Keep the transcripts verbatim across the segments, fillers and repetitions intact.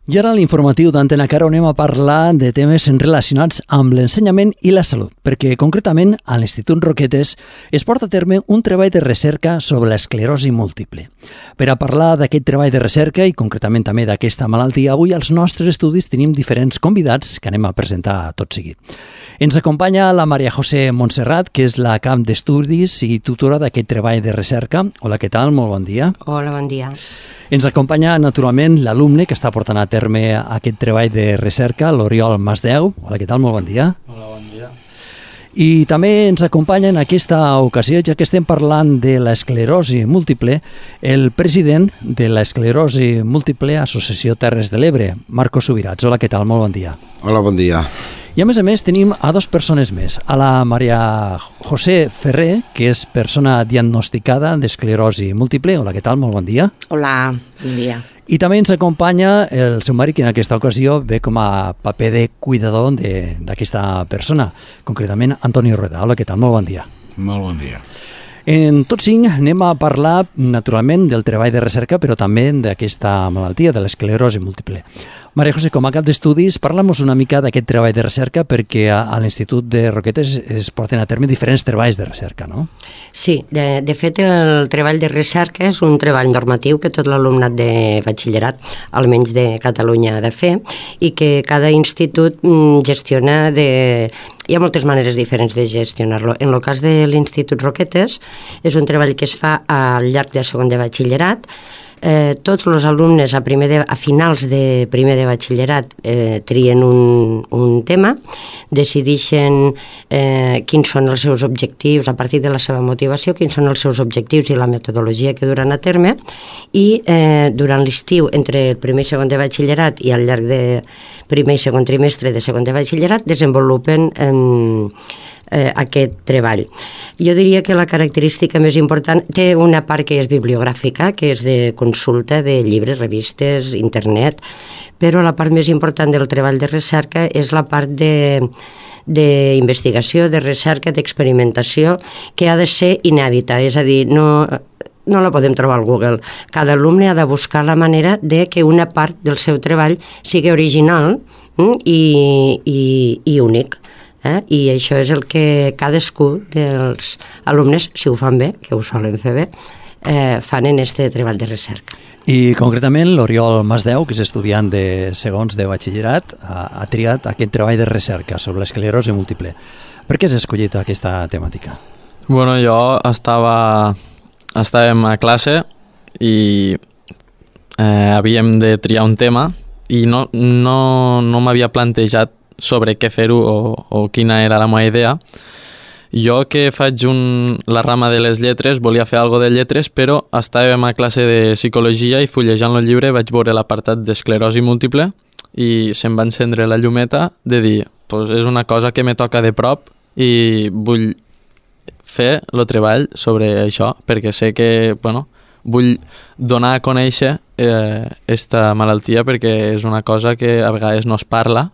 I ara a l'informatiu d'Antena Caro anem a parlar de temes relacionats amb l'ensenyament i la salut, perquè concretament a l'Institut Roquetes es porta a terme un treball de recerca sobre l'esclerosi múltiple. Per a parlar d'aquest treball de recerca i concretament també d'aquesta malaltia, avui als nostres estudis tenim diferents convidats que anem a presentar tot seguit. Ens acompanya la Maria José Montserrat, que és la cap d'estudis i tutora d'aquest treball de recerca. Hola, què tal? Molt bon dia. Hola, bon dia. Ens acompanya, naturalment, l'alumne que està portant a terme aquest treball de recerca, l'Oriol Masdeu. Hola, què tal? Molt bon dia. Hola, bon dia. I també ens acompanya en aquesta ocasió, ja que estem parlant de l'esclerosi múltiple, el president de l'esclerosi múltiple Associació Terres de l'Ebre, Marcos Subirats. Hola, què tal? Molt bon dia. Hola, bon dia. I a més a més tenim a dues persones més, a la Maria José Ferrer, que és persona diagnosticada d'esclerosi múltiple. Hola, què tal? Molt bon dia. Hola, bon dia. I també ens acompanya el seu marit, que en aquesta ocasió ve com a paper de cuidador d'aquesta persona, concretament Antonio Rueda. Hola, què tal? Molt bon dia. Molt bon dia. En tots cinc anem a parlar, naturalment, del treball de recerca, però també d'aquesta malaltia, de l'esclerosi múltiple. Maria José, com a cap d'estudis, parla'ns una mica d'aquest treball de recerca, perquè a, a l'Institut de Roquetes es porten a terme diferents treballs de recerca, no? Sí, de, de fet el treball de recerca és un treball normatiu que tot l'alumnat de batxillerat, almenys de Catalunya, ha de fer, i que cada institut gestiona de... Hi ha moltes maneres diferents de gestionar-lo. En el cas de l'Institut Roquetes és un treball que es fa al llarg de segon de batxillerat. Eh, tots els alumnes a, primer de, a finals de primer de batxillerat eh, trien un, un tema, decideixen eh, quins són els seus objectius a partir de la seva motivació, quins són els seus objectius i la metodologia que duran a terme, i eh, durant l'estiu, entre el primer i segon de batxillerat i al llarg de primer i segon trimestre de segon de batxillerat, desenvolupen eh, Eh, aquest treball. Jo diria que la característica més important té una part que és bibliogràfica, que és de consulta de llibres, revistes, internet, però la part més important del treball de recerca és la part de d'investigació, de recerca, d'experimentació, que ha de ser inèdita, és a dir, no... no la podem trobar al Google. Cada alumne ha de buscar la manera de que una part del seu treball sigui original mm, i, i, i únic. Eh? I això és el que cadascú dels alumnes, si ho fan bé, que ho solen fer bé, eh, fan en aquest treball de recerca. I concretament l'Oriol Masdeu, que és estudiant de segons de batxillerat, ha, ha triat aquest treball de recerca sobre l'esclerosi múltiple. Per què has escollit aquesta temàtica? Bueno, jo estava... estàvem a classe i eh, havíem de triar un tema i no, no, no m'havia plantejat sobre què fer-ho o, o quina era la meva idea. Jo, que faig un, la rama de les lletres, volia fer alguna de lletres, però estàvem a classe de psicologia i fullejant el llibre vaig veure l'apartat d'esclerosi múltiple i se'm va encendre la llumeta de dir, pues és una cosa que me toca de prop i vull fer el treball sobre això, perquè sé que, bueno, vull donar a conèixer eh, esta malaltia, perquè és una cosa que a vegades no es parla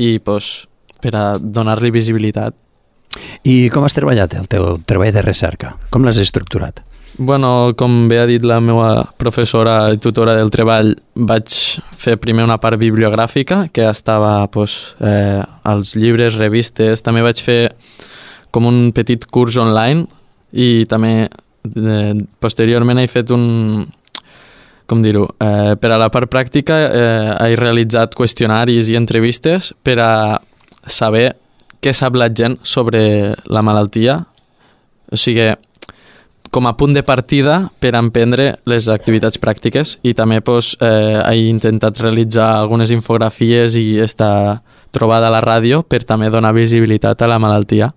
i pues, per a donar-li visibilitat. I com has treballat el teu treball de recerca? Com l'has estructurat? Bueno, com bé ha dit la meva professora i tutora del treball, vaig fer primer una part bibliogràfica, que estava pues, eh, als llibres, revistes. També vaig fer com un petit curs online i també eh, posteriorment he fet un... com dir-ho, eh, per a la part pràctica eh, he realitzat qüestionaris i entrevistes per a saber què sap la gent sobre la malaltia, o sigui, com a punt de partida per a emprendre les activitats pràctiques, i també pues, eh, he intentat realitzar algunes infografies i esta trobada a la ràdio per també donar visibilitat a la malaltia.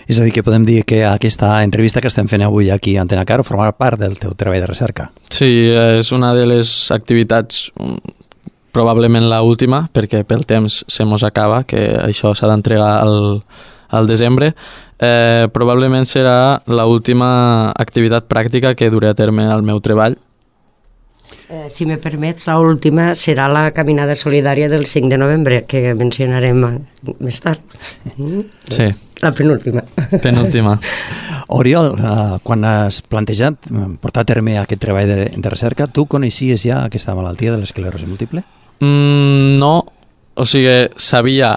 És a dir, que podem dir que aquesta entrevista que estem fent avui aquí a Antena Caro formarà part del teu treball de recerca. Sí, és una de les activitats, probablement l'última, perquè pel temps se mos acaba, que això s'ha d'entregar al, al desembre. Eh, probablement serà l'última activitat pràctica que duré a terme al meu treball. Eh, si me permets, l'última serà la caminada solidària del cinc de novembre, que mencionarem més tard. Sí. La penúltima. Penúltima. Oriol, uh, quan has plantejat portar a terme aquest treball de, de recerca, tu coneixies ja aquesta malaltia de l'esclerosi múltiple? Mm, no, o sigui, sabia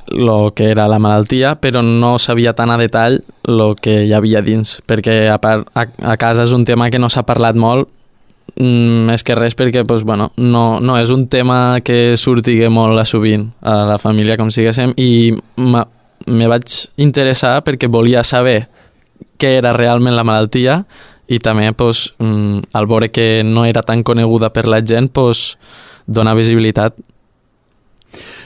el que era la malaltia, però no sabia tan a detall el que hi havia dins, perquè a, part, a, a casa és un tema que no s'ha parlat molt, mm, més que res perquè pues, bueno, no, no és un tema que surtigui molt a sovint a la família, com siguéssim, i me vaig interessar perquè volia saber què era realment la malaltia i també pues, mm, al veure que no era tan coneguda per la gent, pues, donar visibilitat.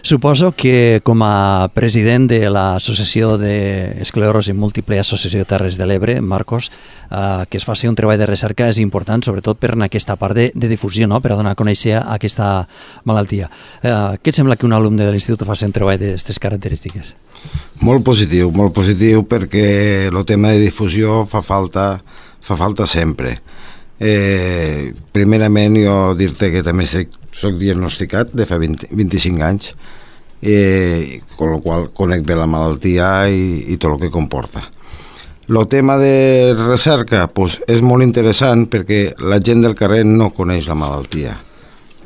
Suposo que com a president de l'Associació d'Esclerosi Múltiple, Associació Terres de l'Ebre, Marcos, eh, que es faci un treball de recerca és important, sobretot per en aquesta part de, de difusió, no? Per a donar a conèixer aquesta malaltia. Eh, què et sembla que un alumne de l'institut faci un treball d'aquestes característiques? Molt positiu, molt positiu, perquè el tema de difusió fa falta, fa falta sempre. Eh, primerament, jo dir-te que també soc, soc diagnosticat de fa vint, vint-i-cinc anys, eh, con lo qual conec bé la malaltia i, i tot el que comporta. El tema de recerca pues, és molt interessant perquè la gent del carrer no coneix la malaltia.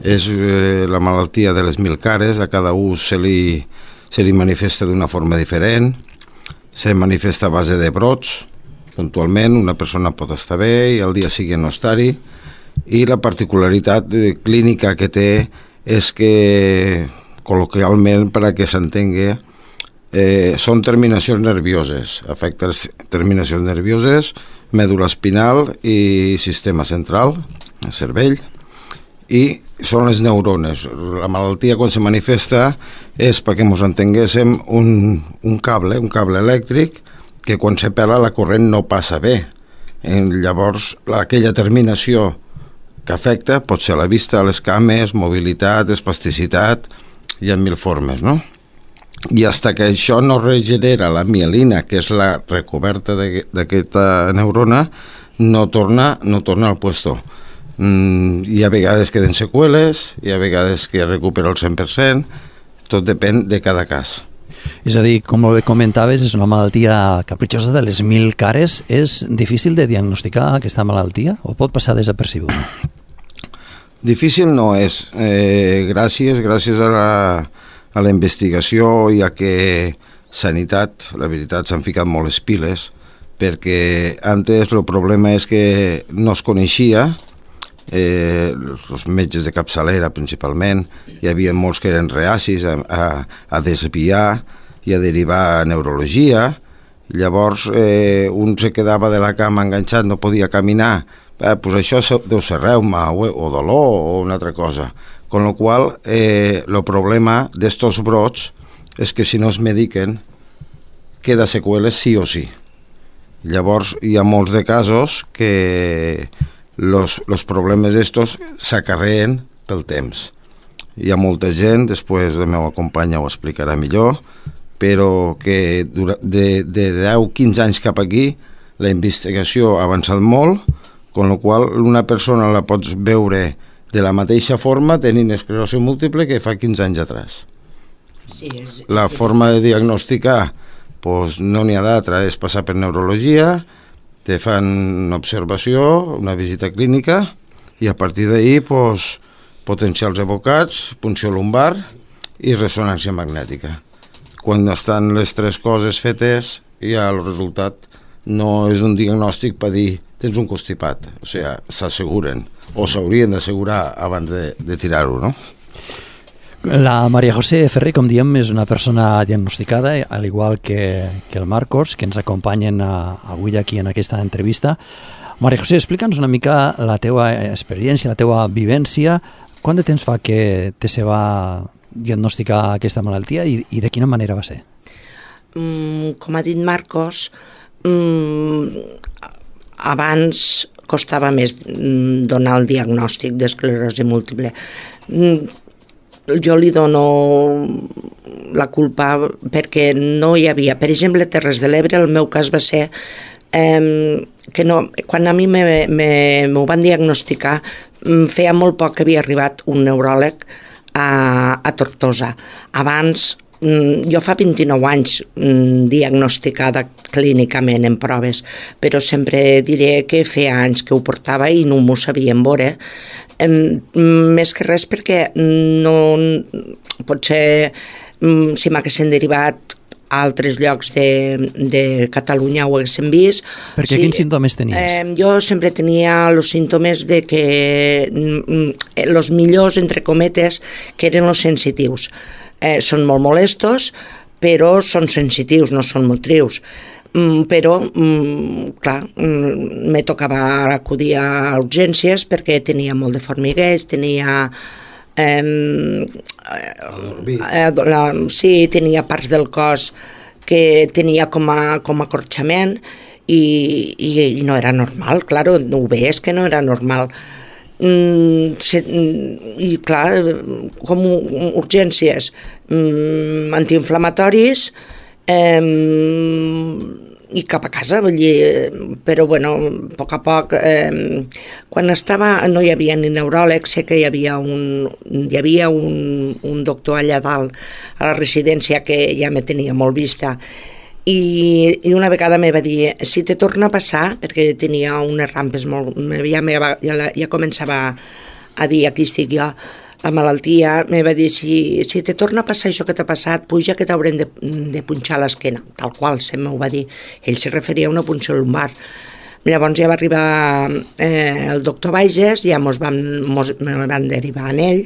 És eh, la malaltia de les mil cares, a cada un se li, se li manifesta d'una forma diferent, se manifesta a base de brots. Puntualment una persona pot estar bé i al dia següent no estar-hi, i la particularitat clínica que té és que col·loquialment, per a que s'entengui, eh, són terminacions nervioses, afecta les terminacions nervioses, mèdula espinal i sistema central, el cervell, i són les neurones. La malaltia quan se manifesta és, perquè ens entenguéssim, un, un cable, un cable elèctric que quan se pela la corrent no passa bé. I llavors aquella terminació que afecta pot ser la vista, les cames, mobilitat, espasticitat, hi ha mil formes, no? I fins que això no regenera la mielina, que és la recoberta d'aquesta neurona, no torna, no torna al puesto. Mm, hi ha vegades que queden seqüeles, hi ha vegades que recupera el cent per cent, tot depèn de cada cas. És a dir, com bé comentaves, és una malaltia capritxosa de les mil cares. És difícil de diagnosticar aquesta malaltia o pot passar desapercebut? Difícil no és. Eh, gràcies, gràcies a la, a la investigació i a que Sanitat, la veritat, s'han ficat molt les piles, perquè antes el problema és que no es coneixia, eh, els metges de capçalera principalment, hi havia molts que eren reacis a, a, a desviar i a derivar a neurologia. Llavors eh, un se quedava de la cama enganxat, no podia caminar, eh, pues això deu ser reuma o, o dolor o una altra cosa, con lo qual eh, el problema d'estos brots és que si no es mediquen queda seqüeles sí o sí. Llavors hi ha molts de casos que los, los problemes d'estos s'acarreen pel temps. Hi ha molta gent, després la meva companya ho explicarà millor, però que de, de deu a quinze anys cap aquí la investigació ha avançat molt, con la qual una persona la pots veure de la mateixa forma tenint esclerosi múltiple que fa quinze anys atrás. Sí, és... La forma de diagnosticar pues, no n'hi ha d'altra, és passar per neurologia, te fan una observació, una visita clínica i a partir d'ahir pues, potencials evocats, punció lumbar i ressonància magnètica. Quan estan les tres coses fetes, ja el resultat no és un diagnòstic per dir tens un constipat, o sigui, s'asseguren o s'haurien d'assegurar abans de, de tirar-ho, no? La Maria José Ferrer, com diem, és una persona diagnosticada, al igual que, que el Marcos, que ens acompanyen a, avui aquí en aquesta entrevista. Maria José, explica'ns una mica la teua experiència, la teua vivència. Quant de temps fa que te se va diagnosticar aquesta malaltia i, i de quina manera va ser? Mm, com ha dit Marcos, mm, abans costava més donar el diagnòstic d'esclerosi múltiple. Mm, jo li dono la culpa perquè no hi havia, per exemple, a Terres de l'Ebre, el meu cas va ser eh, que no, quan a mi me, me, m'ho van diagnosticar, feia molt poc que havia arribat un neuròleg a, a Tortosa. Abans, jo fa vint-i-nou anys diagnosticada clínicament en proves, però sempre diré que feia anys que ho portava i no m'ho sabien veure. Més que res perquè no, potser si m'haguessin derivat a altres llocs de, de Catalunya ho haguéssim vist. Perquè sí, quins símptomes tenies? Eh, jo sempre tenia els símptomes de que els millors, entre cometes, que eren els sensitius. Eh, són molt molestos, però són sensitius, no són motrius. Mm, però, mm, clar, mm, me tocava acudir a urgències perquè tenia molt de formigueig, tenia... Eh, eh, la, sí, tenia parts del cos que tenia com a, com a acorxament i, i, i no era normal, clar, ho veies que no era normal. Mm, se, i clar, com urgències, mm, antiinflamatoris, eh, i cap a casa, vull dir, però bueno, a poc a poc, eh, quan estava, no hi havia ni neuròleg, sé que hi havia un, hi havia un, un doctor allà dalt a la residència que ja me tenia molt vista, i, i una vegada me va dir, si te torna a passar, perquè tenia unes rampes molt, ja, me va, ja, ja començava a dir, aquí estic jo, la malaltia, me va dir, si, si te torna a passar això que t'ha passat, puja que t'haurem de, de punxar l'esquena, tal qual, se m'ho va dir. Ell se referia a una punció lumbar. Llavors ja va arribar eh, el doctor Bages, ja mos van, mos, me van derivar en ell,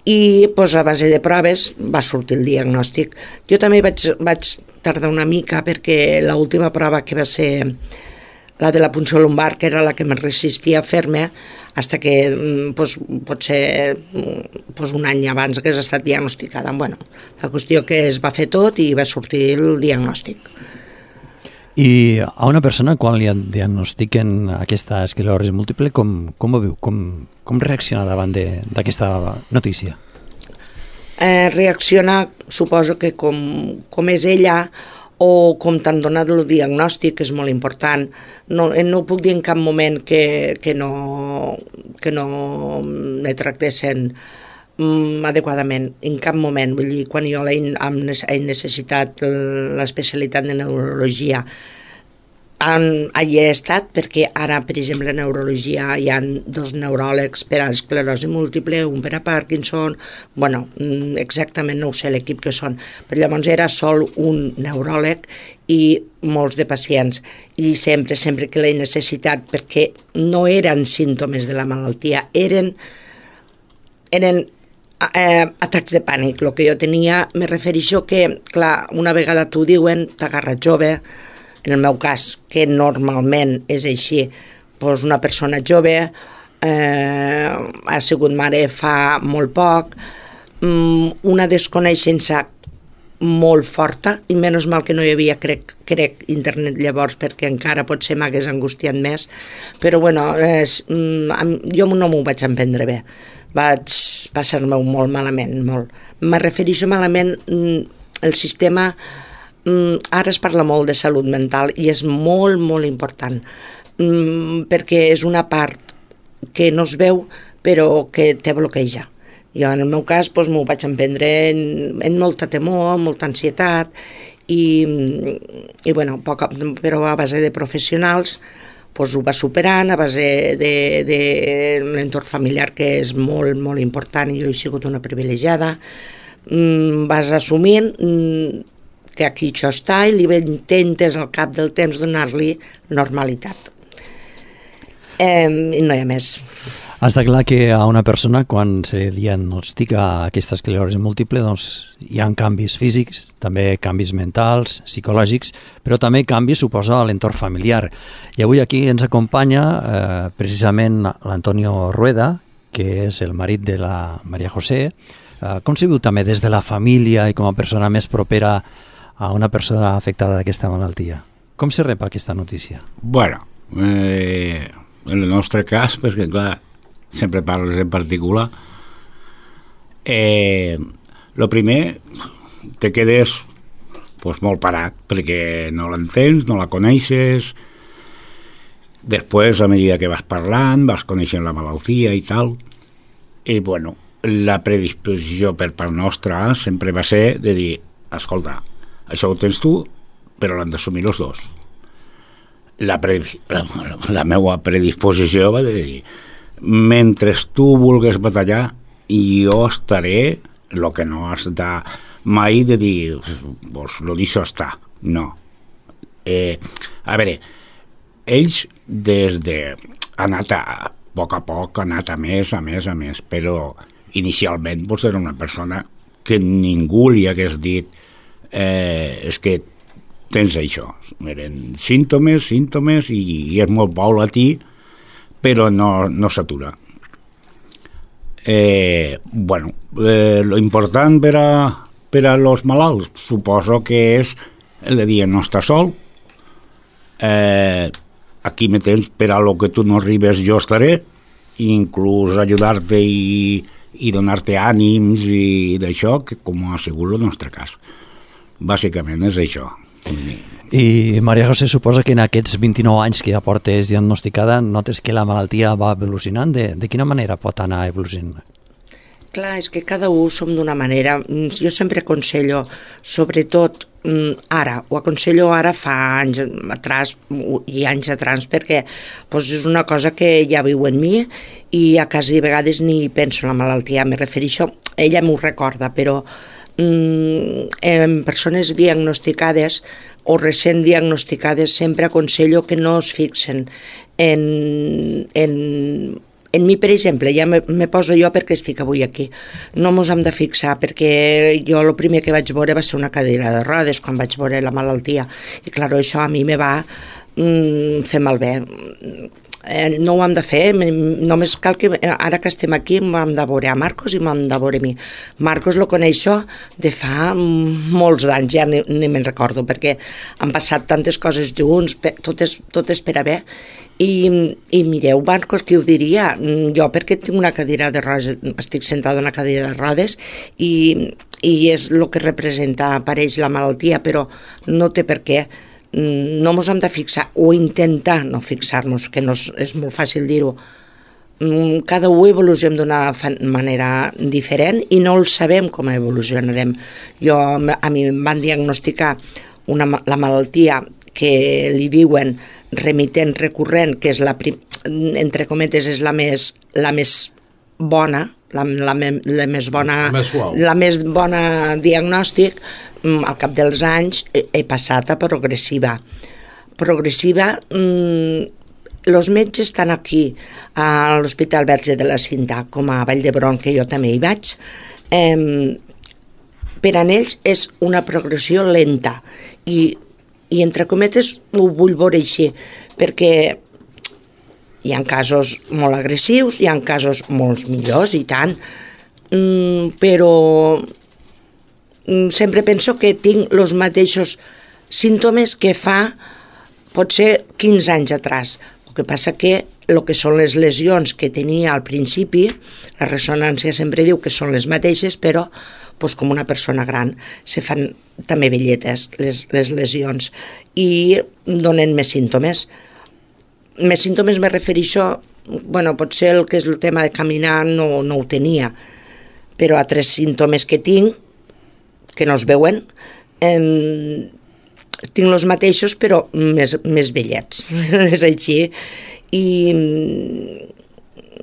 i pues, a base de proves va sortir el diagnòstic. Jo també vaig, vaig tardar una mica perquè l'última prova que va ser la de la punció lumbar, que era la que me resistia a fer-me, fins que pues, potser pues, un any abans que has estat diagnosticada. Bueno, la qüestió que es va fer tot i va sortir el diagnòstic. I a una persona, quan li diagnostiquen aquesta esclerosi múltiple, com, com ho viu? Com, com reacciona davant d'aquesta notícia? Eh, reacciona, suposo que com, com és ella, o com t'han donat el diagnòstic, que és molt important. No, no puc dir en cap moment que, que no, que no me tractessin mm, adequadament, en cap moment. Vull dir, quan jo he necessitat l'especialitat de neurologia, allí he estat, perquè ara, per exemple, a neurologia hi ha dos neuròlegs per a esclerosi múltiple, un per a Parkinson, bueno, exactament no ho sé l'equip que són, però llavors era sol un neuròleg i molts de pacients, i sempre, sempre que l'he necessitat, perquè no eren símptomes de la malaltia, eren, eren eh, atacs de pànic. El que jo tenia, me refereixo que, clar, una vegada t'ho diuen, t'agarra jove. En el meu cas, que normalment és així, doncs una persona jove, eh, ha sigut mare fa molt poc, una desconeixença molt forta, i menys mal que no hi havia, crec, crec internet llavors, perquè encara potser m'hagués angustiat més, però bueno, és, jo no m'ho vaig emprendre bé, vaig passar-me molt malament, molt. Me refereixo malament el sistema. Ara es parla molt de salut mental i és molt, molt important, perquè és una part que no es veu però que te bloqueja. Jo en el meu cas doncs, m'ho vaig emprendre en, en molta temor, molta ansietat i, i bueno, poc, però a base de professionals doncs, ho va superant, a base de, de l'entorn familiar, que és molt, molt important, i jo he sigut una privilegiada, vas assumint que aquí això està i li intentes al cap del temps donar-li normalitat. Eh, I no hi ha més. Està clar que a una persona, quan se diagnostica aquesta esclerosi múltiple, doncs hi ha canvis físics, també canvis mentals, psicològics, però també canvis, suposa, a l'entorn familiar. I avui aquí ens acompanya eh, precisament l'Antonio Rueda, que és el marit de la Maria José. Eh, com se viu també des de la família i com a persona més propera a una persona afectada d'aquesta malaltia? Com se rep aquesta notícia? Bueno, eh, en el nostre cas, perquè clar, sempre parles en particular, eh, lo primer, te quedes pues, molt parat, perquè no l'entens, no la coneixes. Després, a mesura que vas parlant, vas coneixent la malaltia i tal, i bueno, la predisposició per part nostra sempre va ser de dir, escolta, això ho tens tu, però l'han d'assumir els dos. La, pre, la, la meva predisposició va dir, mentre tu vulguis batallar, jo estaré, el que no has de mai de dir, pues lo dicho està, no. Eh, a veure, ells des de... ha anat a, a poc a poc, ha anat a més, a més, a més, però inicialment pues, era una persona que ningú li hagués dit eh, és que tens això. Eren símptomes, símptomes, i, i és molt paulatí, però no, no s'atura. Eh, bueno, eh, lo important per a, per a los malalts suposo que és el de dir no està sol, eh, aquí me tens per a lo que tu no arribes jo estaré, inclús ajudar-te i, i donar-te ànims i d'això, que com ha sigut el nostre cas. Bàsicament és això. I Maria José, suposa que en aquests vint-i-nou anys que ja portes diagnosticada notes que la malaltia va evolucionant. De, de quina manera pot anar evolucionant? Clar, és que cada un som d'una manera. Jo sempre aconsello, sobretot ara, ho aconsello ara fa anys atrás i anys atrás, perquè doncs, és una cosa que ja viu en mi i a quasi vegades ni penso en la malaltia, me refereixo, ella m'ho recorda, però mm, en persones diagnosticades o recent diagnosticades sempre aconsello que no es fixen en... en En mi, per exemple, ja me, me poso jo perquè estic avui aquí. No mos hem de fixar, perquè jo el primer que vaig veure va ser una cadira de rodes, quan vaig veure la malaltia. I, clar, això a mi me va mm, fer malbé. Eh, no ho hem de fer, només cal que, ara que estem aquí, hem de veure a Marcos i hem de veure a mi. Marcos lo coneixo de fa molts anys, ja ni, ni me'n recordo, perquè han passat tantes coses junts, tot és, tot és per a bé. I, i mireu, Marcos, qui ho diria? Jo perquè tinc una cadira de rodes, estic sentada en una cadira de rodes i, i és el que representa, apareix la malaltia, però no té per què. No ens hem de fixar o intentar no fixar-nos, que no és, és molt fàcil dir-ho. Cada un evolucionem d'una manera diferent i no el sabem com evolucionarem. Jo, a mi em van diagnosticar una, la malaltia que li diuen remitent recurrent, que és la, entre cometes, és la més, la més bona, la, la, la més bona, la més bona diagnòstic. Al cap dels anys he, he passat a progressiva. Progressiva, els metges estan aquí, a l'Hospital Verge de la Cinta, com a Vall d'Hebron, que jo també hi vaig. Eh, per a ells és una progressió lenta i I entre cometes ho vull veure així, perquè hi ha casos molt agressius, hi ha casos molt millors i tant, mm, però mm, sempre penso que tinc els mateixos símptomes que fa potser quinze anys atrás. El que passa que el que són les lesions que tenia al principi, la ressonància sempre diu que són les mateixes, però pues, com una persona gran se fan també velletes les, les lesions i donen més símptomes. Més símptomes me refereixo, bueno, potser el que és el tema de caminar no, no ho tenia, però altres símptomes que tinc, que no es veuen, eh, tinc els mateixos però més, més vellets, és així. I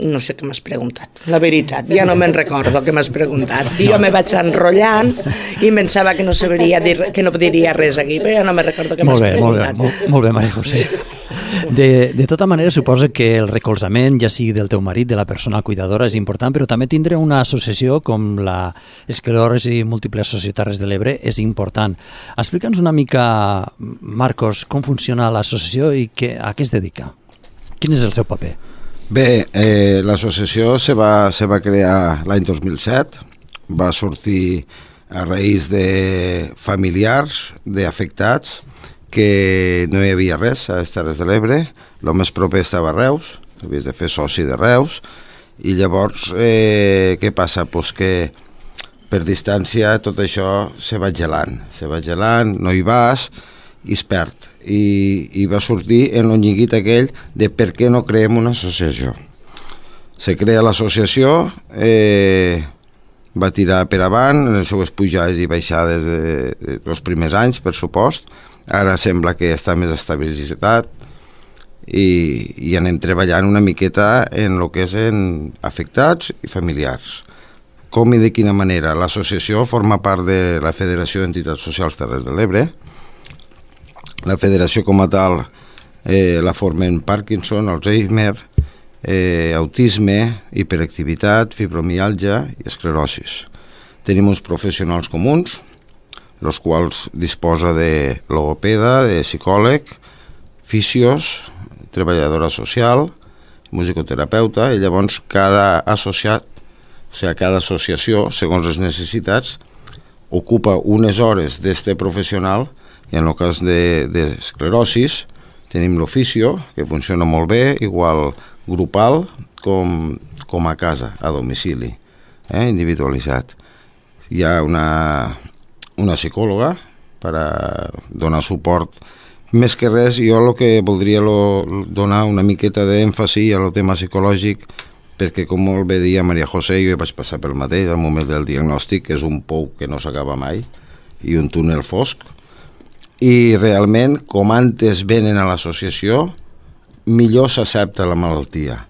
no sé què m'has preguntat, la veritat, ja no me'n recordo què m'has preguntat. I jo me vaig enrotllant i pensava que no sabria dir, que no diria res aquí, però ja no me'n recordo què m'has preguntat. Molt bé, molt bé, Maria José. De, de tota manera, suposa que el recolzament, ja sigui del teu marit, de la persona cuidadora, és important, però també tindre una associació com l'esclerosi múltiple associada Terres de l'Ebre és important. Explica'ns una mica, Marcos, com funciona l'associació i que, a què es dedica? Quin és el seu paper? Bé, eh, l'associació se va, se va crear l'any dos mil set, va sortir a raïs de familiars, d'afectats, que no hi havia res a les Terres de l'Ebre, el més proper estava a Reus, havies de fer soci de Reus, i llavors eh, què passa? Pues que per distància tot això se va gelant, se va gelant, no hi vas i es perd. I, i va sortir en el lliguit aquell de per què no creem una associació. Se crea l'associació, eh, va tirar per avant en les seues pujades i baixades dels de, de primers anys, per supost. Ara sembla que està més estabilitzat i, i anem treballant una miqueta en el que és en afectats i familiars. Com i de quina manera? L'associació forma part de la Federació d'Entitats Socials Terres de l'Ebre. La federació com a tal eh, la formen Parkinson, Alzheimer, eh, autisme, hiperactivitat, fibromialgia i esclerosis. Tenim uns professionals comuns, els quals disposa de logopeda, de psicòleg, fisios, treballadora social, musicoterapeuta, i llavors cada associat, o sigui, cada associació, segons les necessitats, ocupa unes hores d'este professional, i en el cas d'esclerosis de, tenim l'oficio, que funciona molt bé, igual grupal com, com a casa, a domicili, eh, individualitzat. Hi ha una, una psicòloga per a donar suport. Més que res, jo el que voldria lo, donar una miqueta d'èmfasi a lo tema psicològic, perquè com molt bé deia Maria José, jo vaig passar pel mateix al moment del diagnòstic, que és un pou que no s'acaba mai, i un túnel fosc, i realment, com antes venen a l'associació, millor s'accepta la malaltia.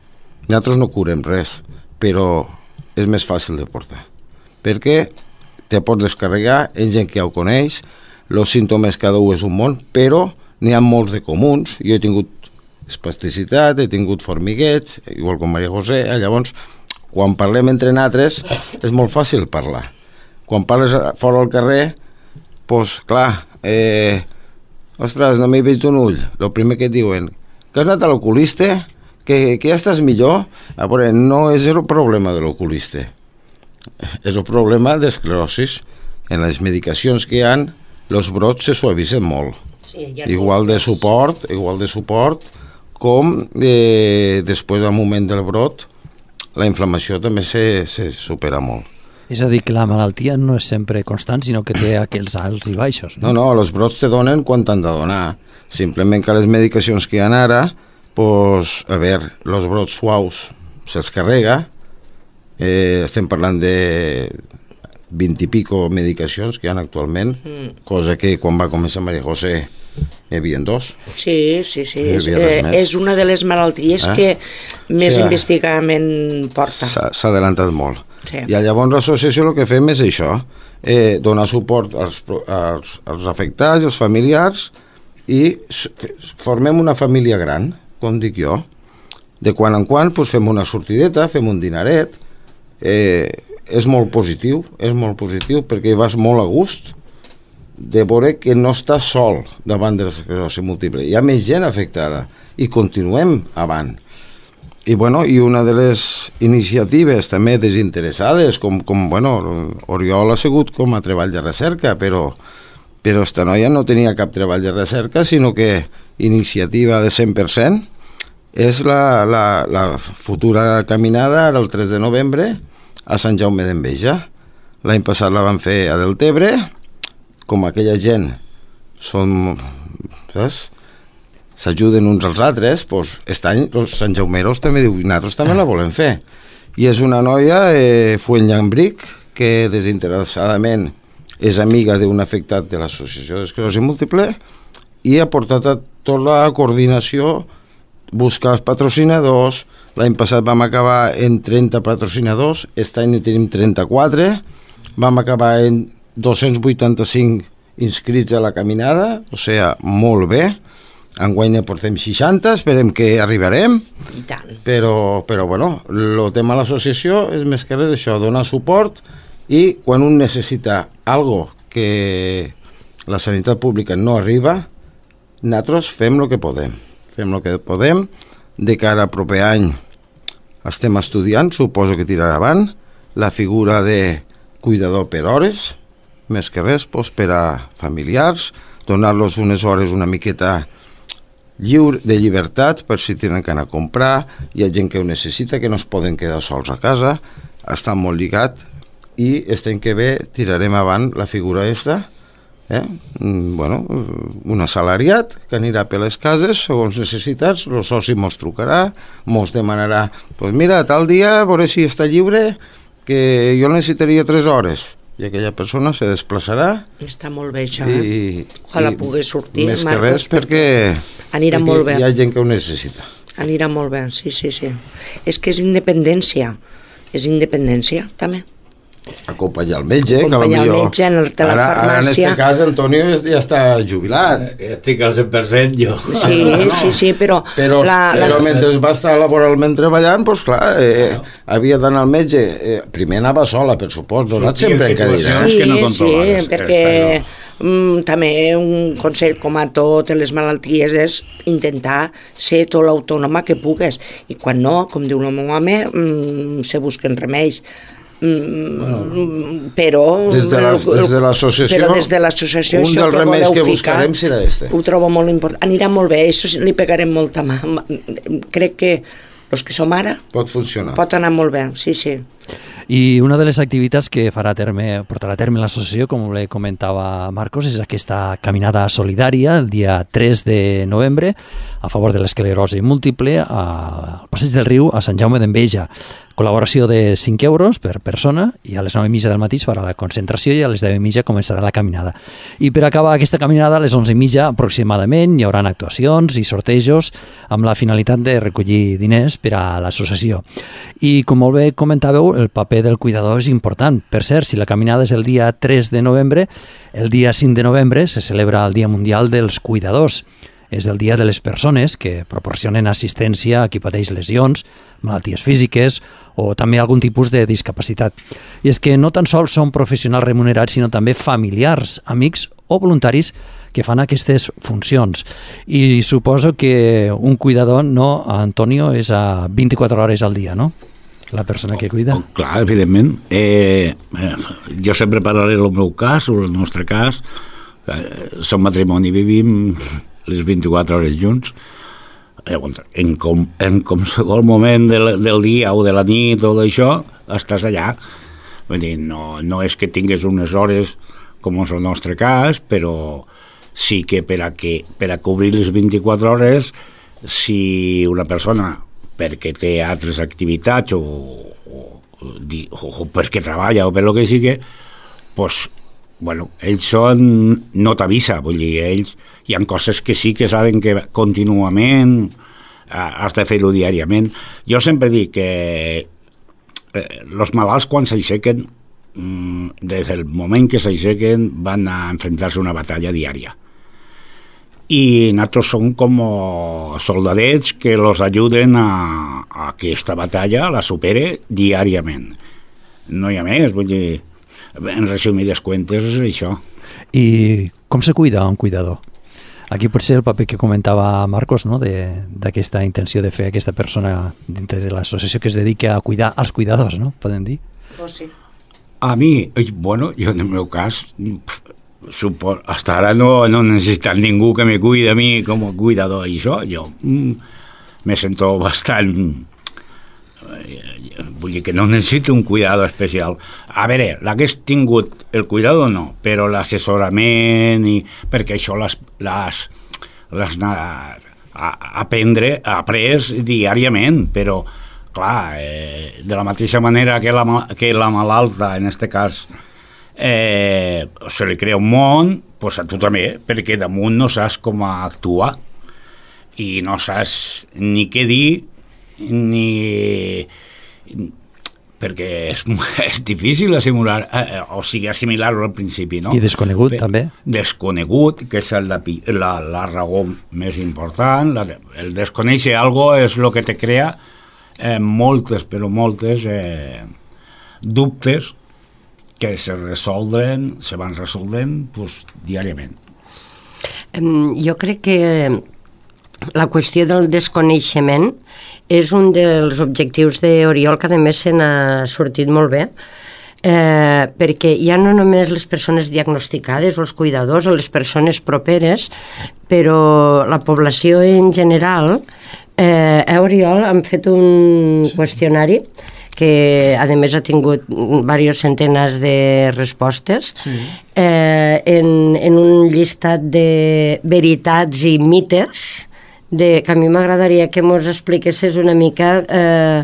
Nosaltres no curem res, però és més fàcil de portar, perquè te pots descarregar, hi ha gent que ja ho coneix, els símptomes cada un és un món, però n'hi ha molts de comuns. Jo he tingut espasticitat, he tingut formiguets, igual com Maria José, eh? Llavors, quan parlem entre nosaltres, és molt fàcil parlar. Quan parles fora al carrer, doncs, clar, eh, ostres, no m'he vist un ull. El primer que et diuen, que has anat a l'oculista, que, que ja estàs millor. A veure, no és el problema de l'oculista. És el problema d'esclerosis. En les medicacions que hi ha, els brots se suavitzen molt. Sí, igual de suport, igual de suport, com eh, després del moment del brot, la inflamació també se, se supera molt. És a dir, que la malaltia no és sempre constant, sinó que té aquells alts i baixos. No, no, no, els brots te donen quan t'han de donar. Simplement que les medicacions que hi ha ara, pues, a veure, els brots suaus se'ls carrega. Eh, estem parlant de vint i pico medicacions que hi ha actualment, mm. cosa que quan va començar Maria José hi havia dos. Sí, sí, sí. És, eh, és una de les malalties eh? que més sí, investigament porta. S'ha adelantat molt. Sí. I llavors l'associació el que fem és això, eh, donar suport als, als, als afectats, als familiars, i formem una família gran, com dic jo. De quan en quan pues, fem una sortideta, fem un dinaret. Eh, és molt positiu, és molt positiu perquè vas molt a gust de veure que no estàs sol davant de l'esclerosi múltiple. Hi ha més gent afectada i continuem avant. I, bueno, i una de les iniciatives també desinteressades, com, com bueno, Oriol ha sigut com a treball de recerca, però, però esta noia no tenia cap treball de recerca, sinó que iniciativa de cent per cent és la, la, la futura caminada el tres de novembre a Sant Jaume d'Enveja. L'any passat la van fer a Deltebre, com aquella gent són, saps? S'ajuden uns als altres, doncs aquest any els Sant Jaumeros també diuen, nosaltres també la volem fer. I és una noia, eh, Fuenllambric, que desinteressadament és amiga d'un afectat de l'Associació d'Esclerosi Múltiple i ha portat a tota la coordinació, buscar els patrocinadors. L'any passat vam acabar en trenta patrocinadors, aquest any tenim trenta-quatre, vam acabar en dos-cents vuitanta-cinc inscrits a la caminada, o sigui, molt bé. Enguany ne portem seixanta, esperem que arribarem. I tant. Però, però bueno, el tema de l'associació és més que res això, donar suport, i quan un necessita algo que la sanitat pública no arriba, nosaltres fem el que podem. Fem el que podem. De cara al proper any estem estudiant, suposo que tirarà avant, la figura de cuidador per hores, més que res, doncs, per a familiars, donar-los unes hores una miqueta lliure, de llibertat, per si tenen que anar a comprar. Hi ha gent que ho necessita, que no es poden quedar sols a casa, està molt lligat, i aquest any que ve tirarem avant la figura esta, eh? Bueno, un assalariat que anirà per les cases segons necessitats, el soci mos trucarà, mos demanarà, pues mira, tal dia, a veure si està lliure, que jo necessitaria tres hores, i aquella persona se desplaçarà. Està molt bé això, eh? I, Ojalà i pogués sortir, més Marcos, que res perquè... Anirà Perquè molt bé. Hi ha gent que ho necessita. Anirà molt bé, sí, sí, sí. És que és independència. És independència, també. Acompanyar el metge, Acompanyar que el metge en el de la ara, farmàcia. Ara en este cas Antonio ja està jubilat. Estic al cent per cent jo. Sí, sí, sí, però... Però, la, però la... mentre va estar laboralment treballant, doncs clar, eh, havia d'anar al metge. Eh, primer anava sola, per supost, donat sempre en cadira. Sí, que no sí, controlades, perquè aquesta, mm, també un consell, com a totes les malalties, és intentar ser tot l'autònoma que pugues. I quan no, com diu el meu home, mm, se busquen remeis. Mm, bueno, però des de la- des de l'associació, però des de l'associació un això dels que remeis voleu que ficar, buscarem serà este. ho trobo molt important, anirà molt bé, això sí, li pegarem molta mà. Crec que els que som ara Pot funcionar. pot anar molt bé, sí, sí. I una de les activitats que farà a terme, portarà a terme l'associació, com le comentava Marcos, és aquesta caminada solidària el dia tres de novembre a favor de l'esclerosi múltiple al Passeig del Riu a Sant Jaume d'Enveja. Col·laboració de cinc euros per persona i a les nou i mitja del matí es farà la concentració i a les deu i mitja començarà la caminada. I per acabar aquesta caminada, a les onze i mitja aproximadament, hi haurà actuacions i sortejos amb la finalitat de recollir diners per a l'associació. I com molt bé comentàveu, el paper del cuidador és important. Per cert, si la caminada és el dia tres de novembre, el dia cinc de novembre se celebra el Dia Mundial dels Cuidadors. És el dia de les persones que proporcionen assistència a qui pateix lesions, malalties físiques o també algun tipus de discapacitat. I és que no tan sols són professionals remunerats, sinó també familiars, amics o voluntaris que fan aquestes funcions. I suposo que un cuidador, no, Antonio, és a vint-i-quatre hores al dia, no? La persona que cuida. Oh, clar, evidentment. Eh, eh, jo sempre parlaré del meu cas, o el nostre cas. Eh, som matrimoni, vivim les vint-i-quatre hores junts. En, com, en qualsevol moment del, del dia o de la nit o d'això, estàs allà. Vull dir, no, no és que tingues unes hores com és el nostre cas, però sí que per a, que, per a cobrir les vint-i-quatre hores, si una persona, perquè té altres activitats o, o, o, o perquè treballa o per lo que sigui, pues, bueno, ells són, no t'avisa, vull dir, ells, hi ha coses que sí que saben que contínuament has de fer-ho diàriament. Jo sempre dic que eh, els malalts quan s'aixequen, mm, des del moment que s'aixequen van a enfrontar-se a una batalla diària. I nosaltres som com soldadets que los ajuden a, a que aquesta batalla la supere diàriament. No hi ha més, vull dir, en resumides cuentes és això. I com se cuida un cuidador? Aquí pot ser el paper que comentava Marcos, no? D'aquesta intenció de fer aquesta persona dintre de l'associació que es dedica a cuidar als cuidadors, no? Podem dir? Oh, sí. A mi, bueno, jo en el meu cas, supo, hasta ara no, no he necessitat ningú que me cuide a mi com a cuidador i això, jo mm, me sento bastant... Vull dir que no necessito un cuidado especial. A veure, l'hagués tingut el cuidado no, però l'assessorament i perquè això les, les, les a, a aprendre, après diàriament, però clar, eh, de la mateixa manera que la, que la malalta, en aquest cas, eh, se li crea un món, pues a tu també, perquè damunt no saps com actuar i no saps ni què dir ni perquè és, és difícil assimilar, eh, o sigui assimilar-ho al principi, no? I desconegut Bé, també desconegut, que és la, la, la raó més important. La, el desconèixer algo és el que te crea eh, moltes, però moltes eh, dubtes que se resoldren, se van resolent pues, diàriament. Jo crec que la qüestió del desconeixement és un dels objectius d'Oriol, que a més se n'ha sortit molt bé, eh, perquè ja no només les persones diagnosticades o els cuidadors o les persones properes, però la població en general, eh, a Oriol han fet un qüestionari que a més ha tingut diverses centenes de respostes, sí. eh, en, en un llistat de veritats i mites, de, que a mi m'agradaria que mos expliquessis una mica eh,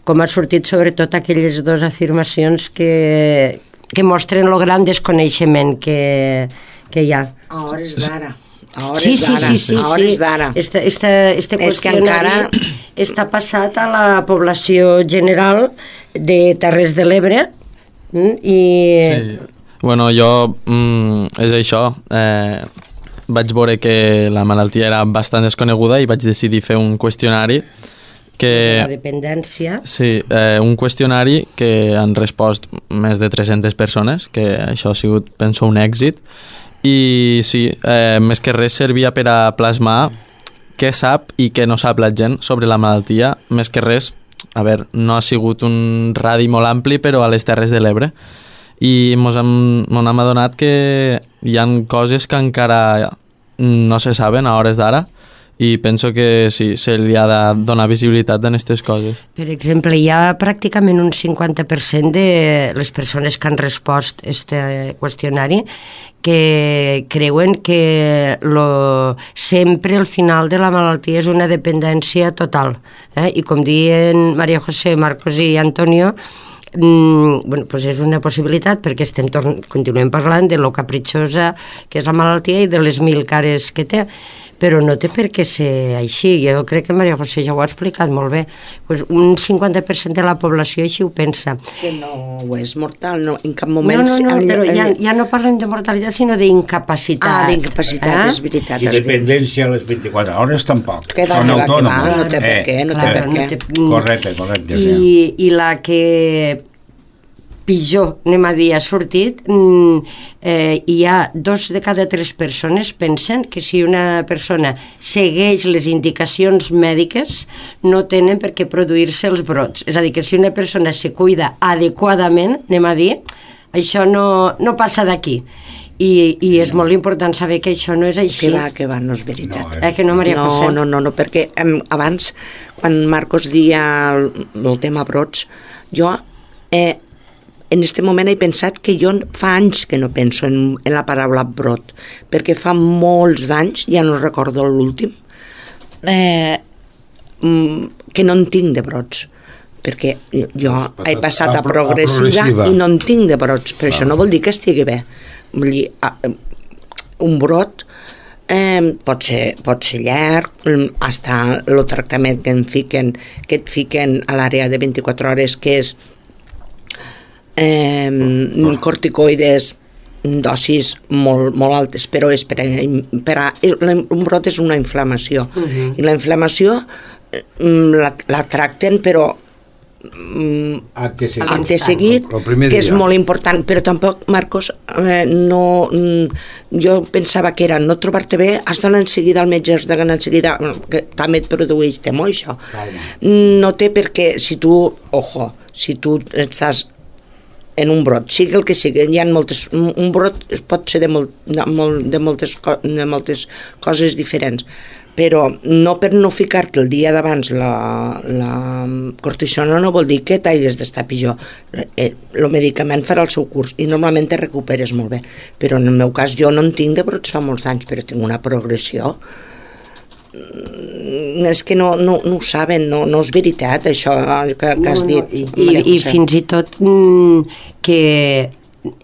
com ha sortit sobretot aquelles dues afirmacions que, que mostren el gran desconeixement que, que hi ha. A hores d'ara. A hores Sí, sí, d'ara. sí, sí, a hores sí. d'ara. Este, este, este És que qüestionari encara- està passat a la població general de Terres de l'Ebre mm, i... Sí. Bueno, jo, mm, és això, eh, vaig veure que la malaltia era bastant desconeguda i vaig decidir fer un qüestionari que... de la dependència. Sí, eh, un qüestionari que han respost més de tres-centes persones, que això ha sigut, penso, un èxit, i sí, eh, més que res servia per a plasmar què sap i què no sap la gent sobre la malaltia, més que res, a veure, no ha sigut un radi molt ampli, però a les Terres de l'Ebre, i mos hem, mos hem adonat que hi han coses que encara no se saben a hores d'ara, i penso que sí, se li ha de donar visibilitat en aquestes coses. Per exemple, hi ha pràcticament un cinquanta per cent de les persones que han respost a este qüestionari que creuen que lo, sempre el final de la malaltia és una dependència total. Eh? I com diuen Maria José, Marcos i Antonio, Mm, bueno, pues és una possibilitat perquè estem continuem parlant de lo capritxosa que és la malaltia i de les mil cares que té, però no té per què ser així. Jo crec que Maria José ja ho ha explicat molt bé. Pues un cinquanta per cent de la població així ho pensa. Que no ho és mortal, no, en cap moment... No, no, no, però ja, ja no parlem de mortalitat, sinó d'incapacitat. Ah, d'incapacitat, eh? És veritat. I dependència a les vint-i-quatre hores tampoc. Que Són va, autònoms. que va, no té per què, no té per què. Correcte, correcte. I, Sí. I la que pitjor, anem a dir, ha sortit, eh, hi ha dos de cada tres persones pensen que si una persona segueix les indicacions mèdiques no tenen per què produir-se els brots. És a dir, que si una persona se cuida adequadament, anem a dir, això no, no passa d'aquí. I, i és molt important saber que això no és així. Que va, que va, no és veritat. No, eh, que no, Maria no, José? no, no, no, perquè em, abans, quan Marcos dia el, el tema brots, jo eh, en aquest moment he pensat que jo fa anys que no penso en, en la paraula brot, perquè fa molts d'anys, ja no recordo l'últim, eh, que no en tinc de brots, perquè jo passat he passat a, a pro- a progressiva, progressiva. i no en tinc de brots, però Ah. això no vol dir que estigui bé. Vull dir, un brot eh, pot, ser, pot ser llarg, hasta el tractament que, en fiquen, que et fiquen a l'àrea de vint-i-quatre hores, que és eh, corticoides, dosis molt, molt altes, però és per a, per a, un brot és una inflamació, uh-huh. i la inflamació la, la tracten, però Acte seguit. acte seguit, que és molt important, però tampoc, Marcos, eh, no, jo pensava que era no trobar-te bé, has d'anar en seguida al metge, has d'anar en seguida, que també et produeix temor, això. Calma. No té per què, si tu, ojo, si tu estàs en un brot, sigui el que sigui, hi ha moltes, un brot pot ser de, molt, de, molt, de, moltes, de moltes coses diferents, però no per no ficar-te el dia d'abans la, la cortisona no vol dir que t'hagis d'estar pitjor. El medicament farà el seu curs i normalment te recuperes molt bé, però en el meu cas jo no en tinc de brots fa molts anys, però tinc una progressió. És que no, no, no ho saben, no, no és veritat això que, que has dit. No, no, i, i, I fins i tot mm, que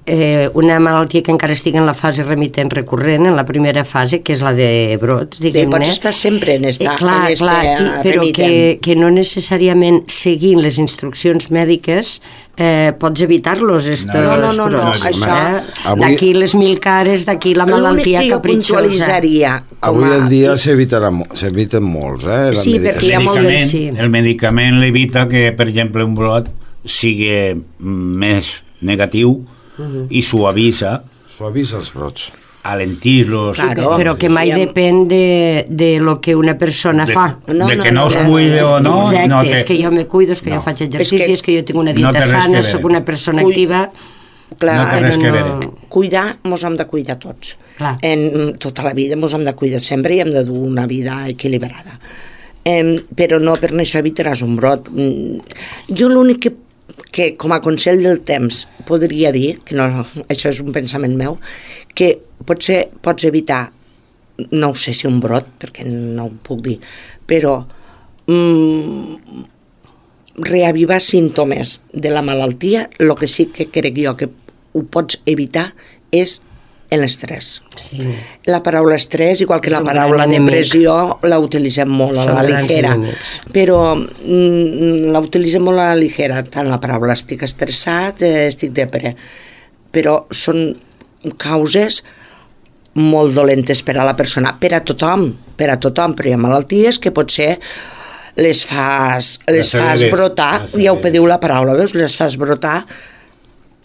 eh, una malaltia que encara estigui en la fase remitent recurrent, en la primera fase, que és la de brots, diguem-ne. Pots estar sempre en esta, eh, clar, en esta clar, i, però que, que no necessàriament seguint les instruccions mèdiques eh, pots evitar-los estos no, no, no, no, brots. això... Eh? D'aquí les mil cares, d'aquí la malaltia capritxosa. Avui en dia s'eviten molts, eh? Sí, perquè hi ha molt de... Sí. El medicament l'evita que, per exemple, un brot sigui més negatiu uh-huh. i suavisa suavisa els brots, alentir-los, claro, però que mai depèn de, de lo que una persona de, fa no, de que no, no es cuide no, o no, exacte, no te... és que jo me cuido, és que no. jo faig exercici, és que, és que jo tinc una dieta no sana, sóc una persona Cui... activa. Clar, no té res que veure. Cuidar, mos hem de cuidar tots. Clar. En tota la vida mos hem de cuidar sempre i hem de dur una vida equilibrada. Eh, però no per això evitaràs un brot. Jo l'únic que que com a consell del temps podria dir, que no, això és un pensament meu, que potser pots evitar, no ho sé si un brot, perquè no ho puc dir, però mm, reavivar símptomes de la malaltia, el que sí que crec jo que ho pots evitar és en l'estrès. Sí. La paraula estrès, igual que És la un paraula gran enemic. depressió, la utilitzem molt a Són la grans ligera, enemics. però mm, la utilitzem molt a la ligera, tant la paraula estic estressat, eh, estic depre, però són causes molt dolentes per a la persona, per a tothom, per a tothom, però hi ha malalties que potser les fas, les fas brotar, ja ho pediu la paraula, veus? Les fas brotar,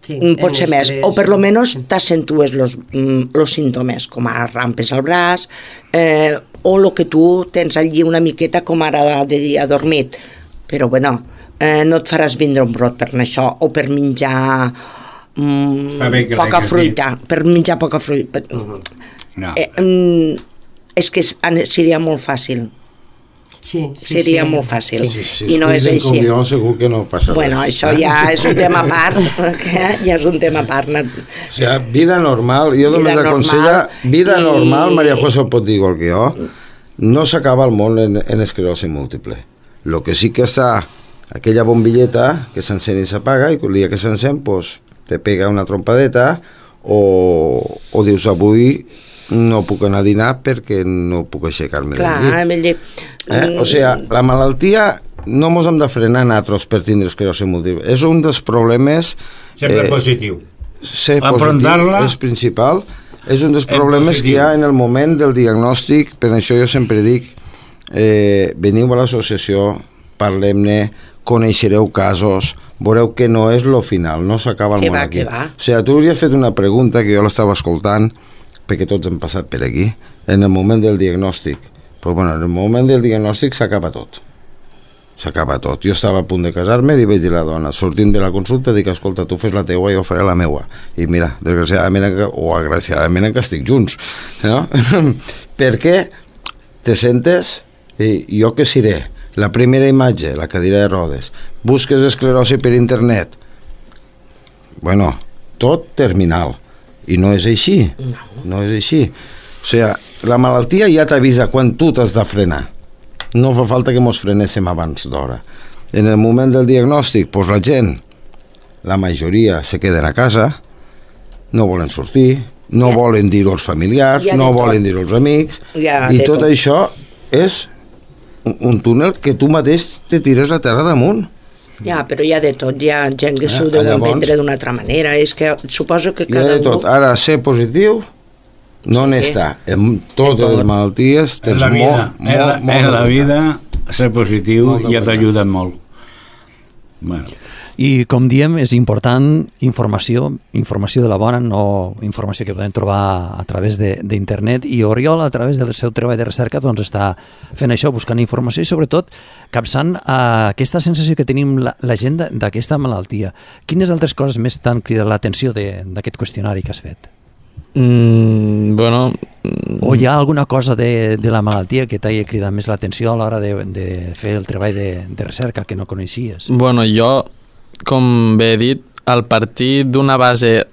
Sí, pot ser més, o per lo menos t'acentues los, los símptomes, com a rampes al braç, eh, o el que tu tens allí una miqueta com ara de dia adormit, però bueno, eh, no et faràs vindre un brot per això, o per menjar mm, poca fruita, per menjar poca fruita. No. Eh, mm, és que seria molt fàcil. Sí, sí, seria sí. molt fàcil, Sí. Si i no és es així. cuiden com jo, segur que no passa Bueno, res. això ja és un tema a part, que ja és un tema a part. O sigui, vida normal, jo només Vida aconsella, normal vida i- normal, Maria José ho pot dir igual que jo, no s'acaba el món en, en esclerosi múltiple. Lo que sí que està aquella bombilleta que s'encén i s'apaga, i el dia que s'encén, pues, te pega una trompadeta, o, o dius avui no puc anar a dinar perquè no puc aixecar-me del Clar, llit. amb el llit. Eh? O sigui, la malaltia no mos hem de frenar nosaltres per tindre esclerosi múltiple. És un dels problemes... Sempre positiu. Ser Afrontar-la- positiu és principal. És un dels En problemes que hi ha en el moment del diagnòstic. Per això jo sempre dic, eh, veniu a l'associació, parlem-ne, coneixereu casos, veureu que no és lo final, no s'acaba el Que món va, aquí. que va. O sigui, tu hauries fet una pregunta que jo l'estava escoltant, perquè tots hem passat per aquí, en el moment del diagnòstic. Però bueno, en el moment del diagnòstic s'acaba tot. S'acaba tot. Jo estava a punt de casar-me i vaig dir a la dona, sortint de la consulta, dic, escolta, tu fes la teua i jo faré la meua. I mira, desgraciadament, o agraciadament encara estic junts, no? Perquè te sentes, i jo què seré? La primera imatge, la cadira de rodes, busques esclerosi per internet, bueno, tot terminal, i no és així, no, no és així. O sigui, la malaltia ja t'avisa quan tu t'has de frenar. No fa falta que mos frenéssim abans d'hora. En el moment del diagnòstic, doncs la gent, la majoria se queden a casa, no volen sortir, no Ja. volen dir-ho als familiars, Ja de no tot. volen dir-ho als amics, Ja i de tot tot. això és un, un túnel que tu mateix te tires la terra damunt. Ja, però hi ha de tot, hi ha gent que Eh, s'ho deu llavors- entendre d'una altra manera, és que suposo que Hi ha cada de tot. un... Ara, ser positiu no Sí. n'està. En totes les malalties En tens la vida, molt, en la, molt, molt en la de vida ser positiu Molt de ja veritat. t'ajuda molt. Bueno, I, com diem, és important informació, informació de la bona, no informació que podem trobar a través de- d'internet, i Oriol, a través del seu treball de recerca, doncs està fent això, buscant informació i, sobretot, capçant a aquesta sensació que tenim la, la gent de- d'aquesta malaltia. Quines altres coses més t'han cridat l'atenció de- d'aquest qüestionari que has fet? Mm, bueno... mm, O hi ha alguna cosa de, de la malaltia que t'hagi cridat més l'atenció a l'hora de, de fer el treball de, de recerca que no coneixies? Bueno, jo, com bé he dit, al partir d'una base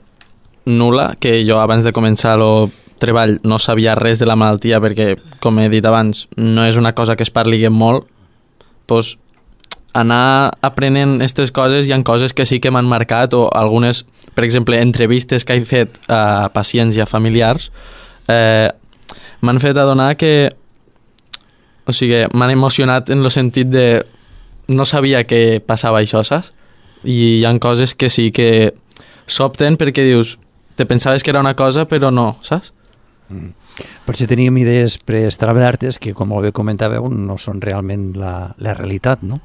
nula, que jo abans de començar el treball no sabia res de la malaltia perquè, com he dit abans, no és una cosa que es parli molt, doncs anar aprenent aquestes coses, hi ha coses que sí que m'han marcat, o algunes, per exemple, entrevistes que he fet a pacients i a familiars, eh, m'han fet adonar que, o sigui, m'han emocionat en el sentit de no sabia que passava això, saps? I hi ha coses que sí que sobten perquè dius, te pensaves que era una cosa però no, saps? Per si teníem idees preestablertes que, com molt bé comentàveu, no són realment la, la realitat, no?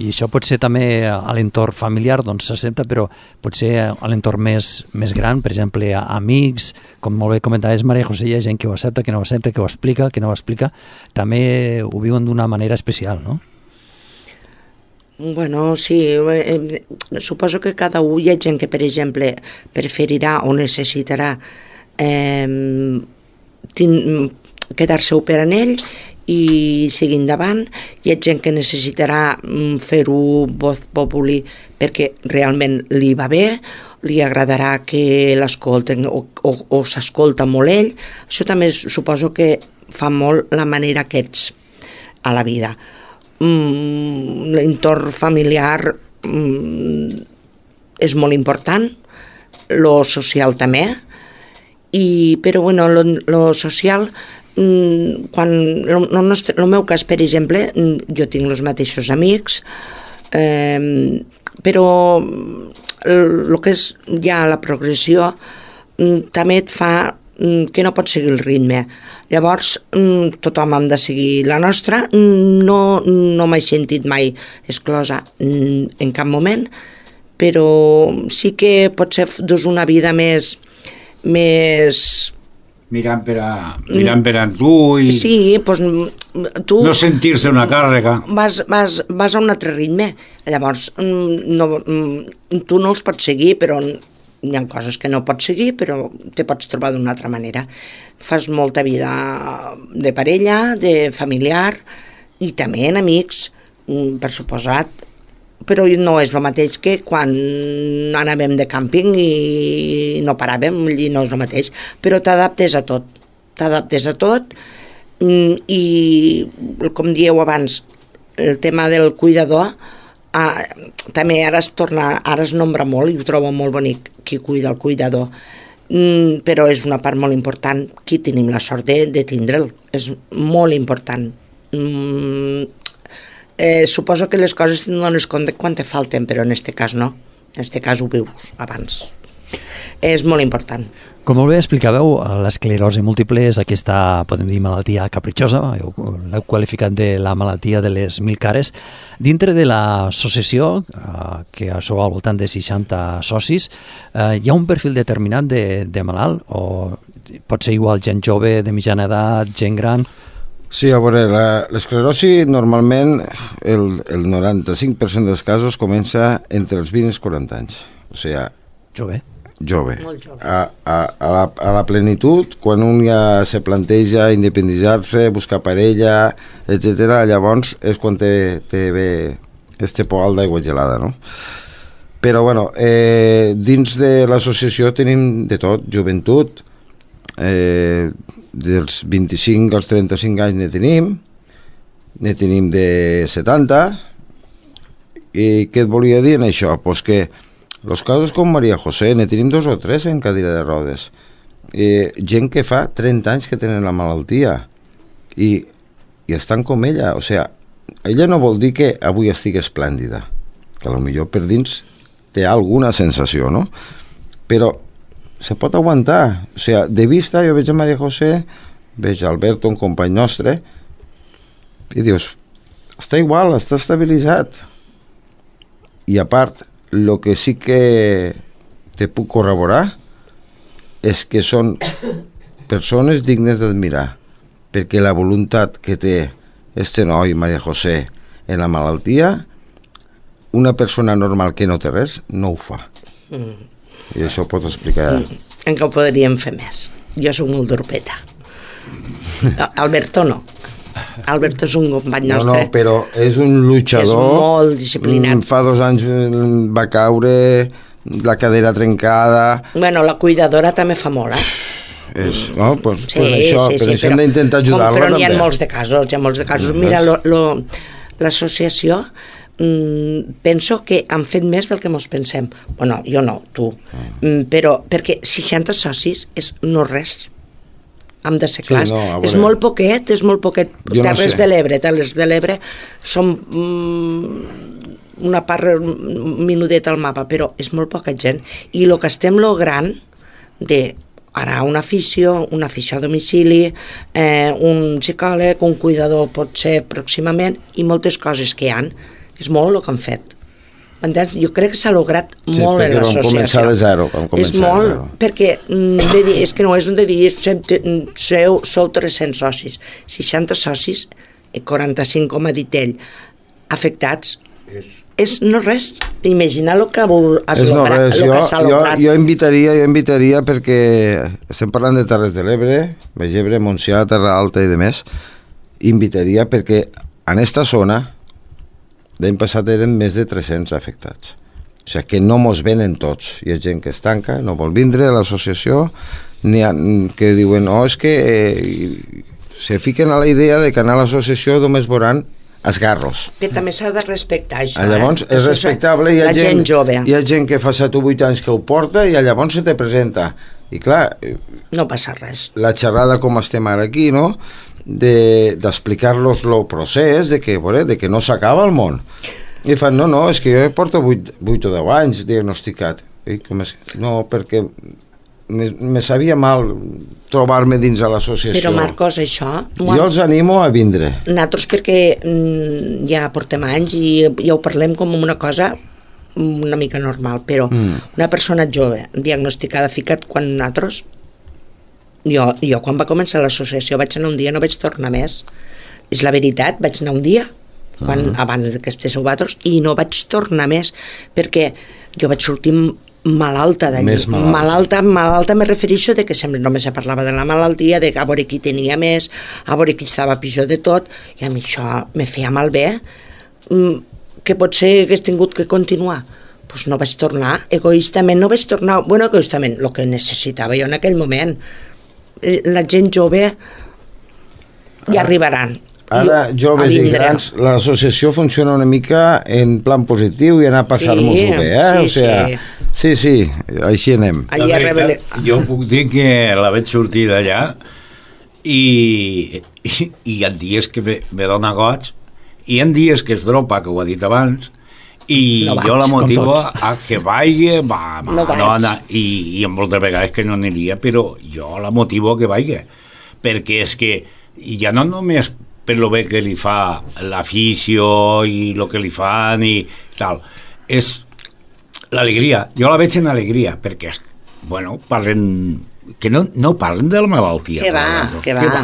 I això pot ser també a l'entorn familiar, doncs s'accepta, però pot ser a l'entorn més, més gran, per exemple, a amics, com molt bé comentaves, Maria José, hi ha gent que ho accepta, que no ho accepta, que ho explica, que no ho explica, també ho viuen d'una manera especial, no? Bueno, sí, eh, suposo que cada un hi ha gent que, per exemple, preferirà o necessitarà eh, tin- quedar-se per en ell i seguir endavant. Hi ha gent que necessitarà mm, fer-ho voz populi perquè realment li va bé, li agradarà que l'escolten o, o, o s'escolta molt ell. Això també suposo que fa molt la manera que ets a la vida. Mm, l'entorn familiar mm, és molt important, lo social també, I, però bueno, lo, lo social, quan el, el, nostre, el meu cas, per exemple, jo tinc els mateixos amics, eh, però el que és ja la progressió també et fa que no pots seguir el ritme. Llavors, tothom hem de seguir la nostra. No, no m'he sentit mai exclosa en cap moment, però sí que potser dus una vida més... més mirant per a, mirant per a tu i sí, pues, tu no sentir-se una càrrega. Vas, vas, vas a un altre ritme. Llavors, no, tu no els pots seguir, però hi ha coses que no pots seguir, però te pots trobar d'una altra manera. Fas molta vida de parella, de familiar i també en amics, per suposat, però no és el mateix que quan anàvem de càmping i no paràvem, i no és el mateix, però t'adaptes a tot, t'adaptes a tot i, com dieu abans, el tema del cuidador, ah, també ara es torna, ara es nombra molt i ho trobo molt bonic, qui cuida el cuidador, mm, però és una part molt important, qui tenim la sort de, de tindre'l, és molt important. Mm, Eh, suposo que les coses no dones compte quan te falten, però en aquest cas no. En aquest cas ho vius abans. És molt important. Com molt bé explicàveu, l'esclerosi múltiple és aquesta, podem dir, malaltia capritxosa, l'heu qualificat de la malaltia de les mil cares. Dintre de l'associació, eh, que sou al voltant de seixanta socis, eh, hi ha un perfil determinat de, de malalt? O pot ser igual gent jove, de mitjana edat, gent gran? Sí, a veure, l'esclerosi normalment el, el noranta-cinc per cent dels casos comença entre els vint i els quaranta anys. O sigui, jove. Jove. Molt jove. A, a, a, la, a la plenitud, quan un ja se planteja independitzar-se, buscar parella, etcètera, llavors és quan té, té bé este poal d'aigua gelada, no? Però, bueno, eh, dins de l'associació tenim de tot, joventut, eh, dels vint-i-cinc als trenta-cinc anys ne tenim, ne tenim de setanta, i què et volia dir en això? Pues que els casos com Maria José ne tenim dos o tres en cadira de rodes, eh, gent que fa trenta anys que tenen la malaltia i, i estan com ella, o sigui, ella no vol dir que avui estigui esplèndida, que potser per dins té alguna sensació, no? Però se pot aguantar, o sigui, de vista jo veig a Maria José, veig a Alberto, un company nostre, i dius, està igual, està estabilitzat. I a part, el que sí que te puc corroborar és que són persones dignes d'admirar, perquè la voluntat que té este noi, Maria José, en la malaltia, una persona normal que no té res, no ho fa. Mm. I això ho pots explicar. En què ho podríem fer més. Jo soc molt d'orpeta. Alberto no. Alberto és un company nostre. No, no, però és un luchador. És molt disciplinat. Fa dos anys va caure, la cadera trencada. Bueno, la cuidadora també fa molt, eh? És, no? Pues, sí, pues això, sí, per sí, això però, hem d'intentar ajudar-la però també. Però n'hi ha molts de casos, hi ha molts de casos. Mira, lo, lo, l'associació mm, penso que han fet més del que mos pensem. Bueno, jo no, tu. Mm, però perquè seixanta socis és no res. Hem de ser clars. Sí, no, és molt poquet, és molt poquet. Jo Terres no de l'Ebre, Terres de l'Ebre són mm, una part minudeta al mapa, però és molt poca gent. I el que estem logrant de ara una afició, una afició a domicili, eh, un psicòleg, un cuidador pot ser pròximament, i moltes coses que hi ha, és molt el que han fet. Entens? Jo crec que s'ha lograt sí, molt en l'associació. Sí, perquè vam començar de zero. Vam començar és molt, de zero. perquè de dir, és que no és un de dir, sou, sou tres-cents socis, seixanta socis, quaranta-cinc, com ha dit ell, afectats, és, és no res. Imagina el que has és lograt, no res. el Jo, que s'ha jo, lograt. jo invitaria, jo invitaria perquè estem parlant de Terres de l'Ebre, Baix Ebre, Montsià, Terra Alta i de més, invitaria perquè en esta zona l'any passat eren més de tres-cents afectats. O sigui que no mos venen tots. Hi ha gent que es tanca, no vol vindre a l'associació, n'hi ha que diuen, oh, és que eh, se fiquen a la idea de que anar a l'associació només veuran esgarros. Que també s'ha de respectar això. Llavors, eh? és respectable. Hi ha la gent, gent jove. Hi ha gent que fa set o vuit anys que ho porta i llavors se te presenta. I clar, no passa res. La xerrada com estem ara aquí, no? D'explicar-los el procés, de que, veure, de que no s'acaba el món. I fan, no, no, és que jo porto vuit o deu anys diagnosticat. I com és? No, perquè me, me sabia mal trobar-me dins a l'associació. Però, Marcos, això... Jo els animo a vindre. Nosaltres perquè mm, ja portem anys i ja ho parlem com una cosa una mica normal, però mm. una persona jove diagnosticada, ficat quan nosaltres... Jo, jo quan va començar l'associació vaig anar un dia, no vaig tornar més. És la veritat, vaig anar un dia quan, uh-huh. abans que estiguéssiu vosaltres, i no vaig tornar més, perquè jo vaig sortir malalta d'allí. Malalta. malalta, malalta me refereixo de que sempre només se parlava de la malaltia, de a veure qui tenia més, a veure qui estava pitjor de tot, i a mi això me feia malbé. Mm, que potser hagués tingut que continuar. Doncs pues no vaig tornar, egoistament no vaig tornar, bueno, egoistament, el que necessitava jo en aquell moment. La gent jove ja arribaran. Ara, joves i grans, l'associació funciona una mica en plan positiu i anar a passar-nos-ho bé, eh? Sí, o sigui, sí, sí, així anem. La veritat, jo puc dir que la vaig sortir d'allà i, i, i hi ha dies que me, me dona goig, i hi ha dies que es dropa, que ho ha dit abans, i no vaig, jo la motivo a que vagi, va, va, no no, no, i, i moltes vegades que no aniria, però jo la motivo a que vagi, perquè és que ja no només per lo bé que li fa l'afició i el que li fan i tal, és l'alegria, jo la veig en alegria, perquè, bueno, parlen, que no, no parlen de la malaltia. Que va, que va. Que va.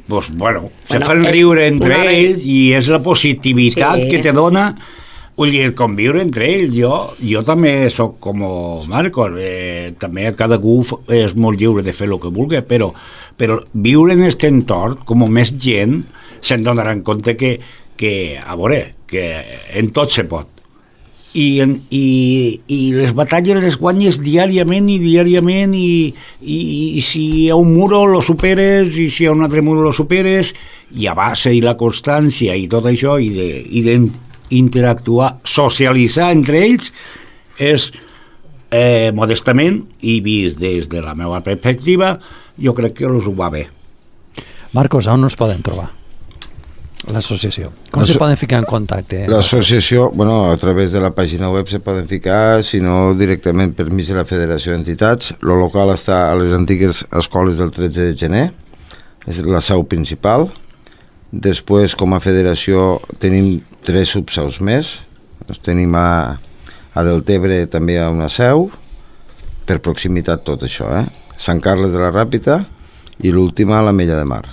Pues, bueno, se bueno, fan riure entre ells i és la positivitat sí. que te dona, vull dir, conviure entre ells. Jo, jo també sóc com Marcos, eh, també cada cú és molt lliure de fer el que vulgui, però, però viure en aquest entorn, com més gent, se'n donaran compte que, que, a veure, que en tot se pot. I, en, i, i les batalles les guanyes diàriament i diàriament i, i, i si hi ha un muro lo superes i si hi ha un altre muro lo superes i a base i la constància i tot això i de, i d'interactuar, socialitzar entre ells és eh, modestament i vist des de la meva perspectiva jo crec que els ho va bé. Marcos, on nos poden trobar? L'associació. Com se poden ficar en contacte? L'associació, bueno, a través de la pàgina web se poden ficar, si no directament per mig de la Federació d'Entitats. El local està a les antigues escoles del tretze de gener, és la seu principal. Després, com a federació, tenim tres subseus més. Tenim a, a Deltebre també una seu, per proximitat tot això, eh? Sant Carles de la Ràpita i l'última a l'Ametlla de Mar.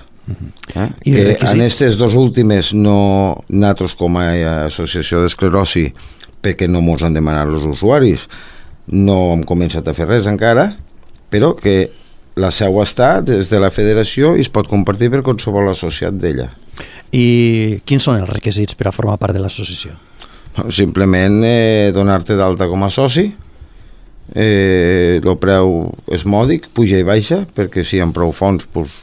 Eh? Que en aquestes dos últimes no nosaltres com a associació d'esclerosi, perquè no mos han demanat els usuaris, no hem començat a fer res encara, però que la seu està des de la federació i es pot compartir per qualsevol associat d'ella. I quins són els requisits per a formar part de l'associació? Simplement eh, donar-te d'alta com a soci, eh, el preu és mòdic, puja i baixa, perquè si hi ha prou fons doncs,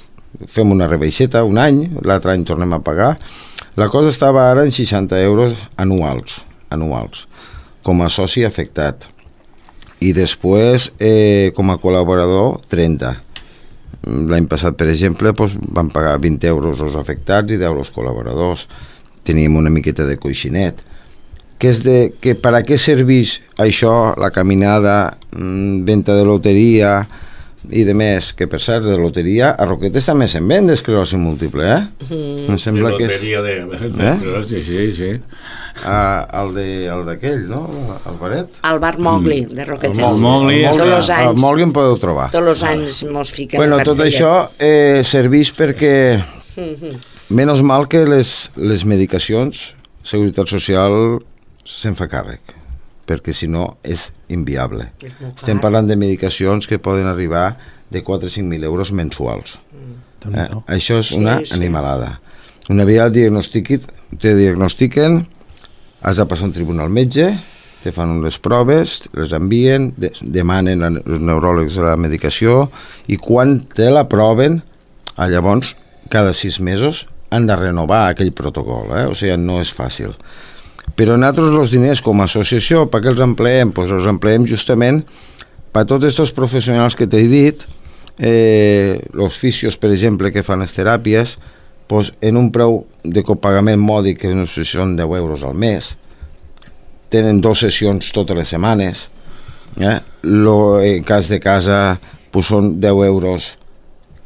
fem una rebaixeta un any, l'altre any tornem a pagar. La cosa estava ara en seixanta euros anuals, anuals com a soci afectat. I després, eh, com a col·laborador, trenta. L'any passat, per exemple, doncs, van pagar vint euros els afectats i deu els col·laboradors. Teníem una miqueta de coixinet. Que és de, que per a què serveix això, la caminada, mmm, venda de loteria i de més, que per cert, de loteria a Roquetes també se'n ven d'esclerosi múltiple, eh? Mm. Em sembla de que és... loteria de, de esclerosi, sí, sí. Ah, el d'aquell, no? El baret? El bar Mowgli, mm. de Roquetes. El Mowgli, el Mowgli, els anys, el Mowgli en podeu trobar. Tots els anys mos fiquem. Bueno, tot això eh, serveix perquè mm-hmm. menys mal que les, les medicacions, Seguretat Social se'n fa càrrec, perquè si no és inviable. És Estem parlant de medicacions que poden arribar de quatre a cinc mil euros mensuals. Mm. Eh? Això és una sí, sí. animalada. Una vegada te diagnostiquen, has de passar un tribunal metge, te fan unes proves, les envien, de, demanen als neuròlegs la medicació i quan te l'aproven, llavors cada sis mesos han de renovar aquell protocol, eh? O sigui, no és fàcil. Però nosaltres els diners com a associació, per què els empleem? Doncs els empleem justament per tots aquests professionals que t'he dit, eh, els fisios, per exemple, que fan les teràpies, pues, en un preu de copagament mòdic, que no sé si són deu euros al mes, tenen dues sessions totes les setmanes, eh? Lo, en cas de casa pues, són deu euros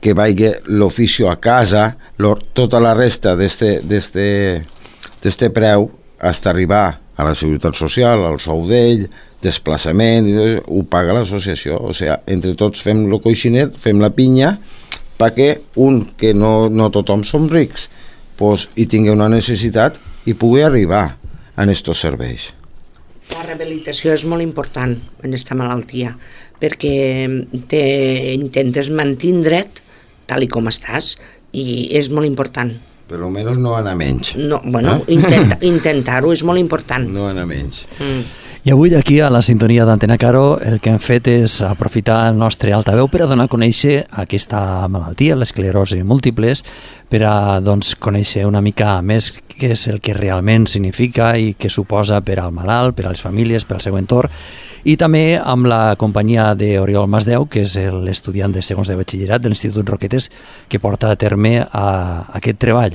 que vagi l'oficio a casa, lo, tota la resta d'este preu fins a arribar a la Seguretat Social, al sou d'ell, desplaçament, ho paga l'associació. O sigui, entre tots fem el coixinet, fem la pinya, perquè un, que no, no tothom som rics, pues, hi tingui una necessitat i pugui arribar a aquests serveis. La rehabilitació és molt important en aquesta malaltia, perquè te intentes mantindre't tal i com estàs, i és molt important. Per almenys no anar menys. No, bueno, eh? intenta, intentar-ho és molt important. No anar menys. Mm. I avui aquí a la sintonia d'Antena Caro el que hem fet és aprofitar el nostre altaveu per a donar a conèixer aquesta malaltia, l'esclerosi múltiples, per a doncs, conèixer una mica més què és el que realment significa i què suposa per al malalt, per a les famílies, per al seu entorn, i també amb la companyia d'Oriol Masdeu, que és l'estudiant de segons de batxillerat de l'Institut Roquetes, que porta a terme a, a aquest treball.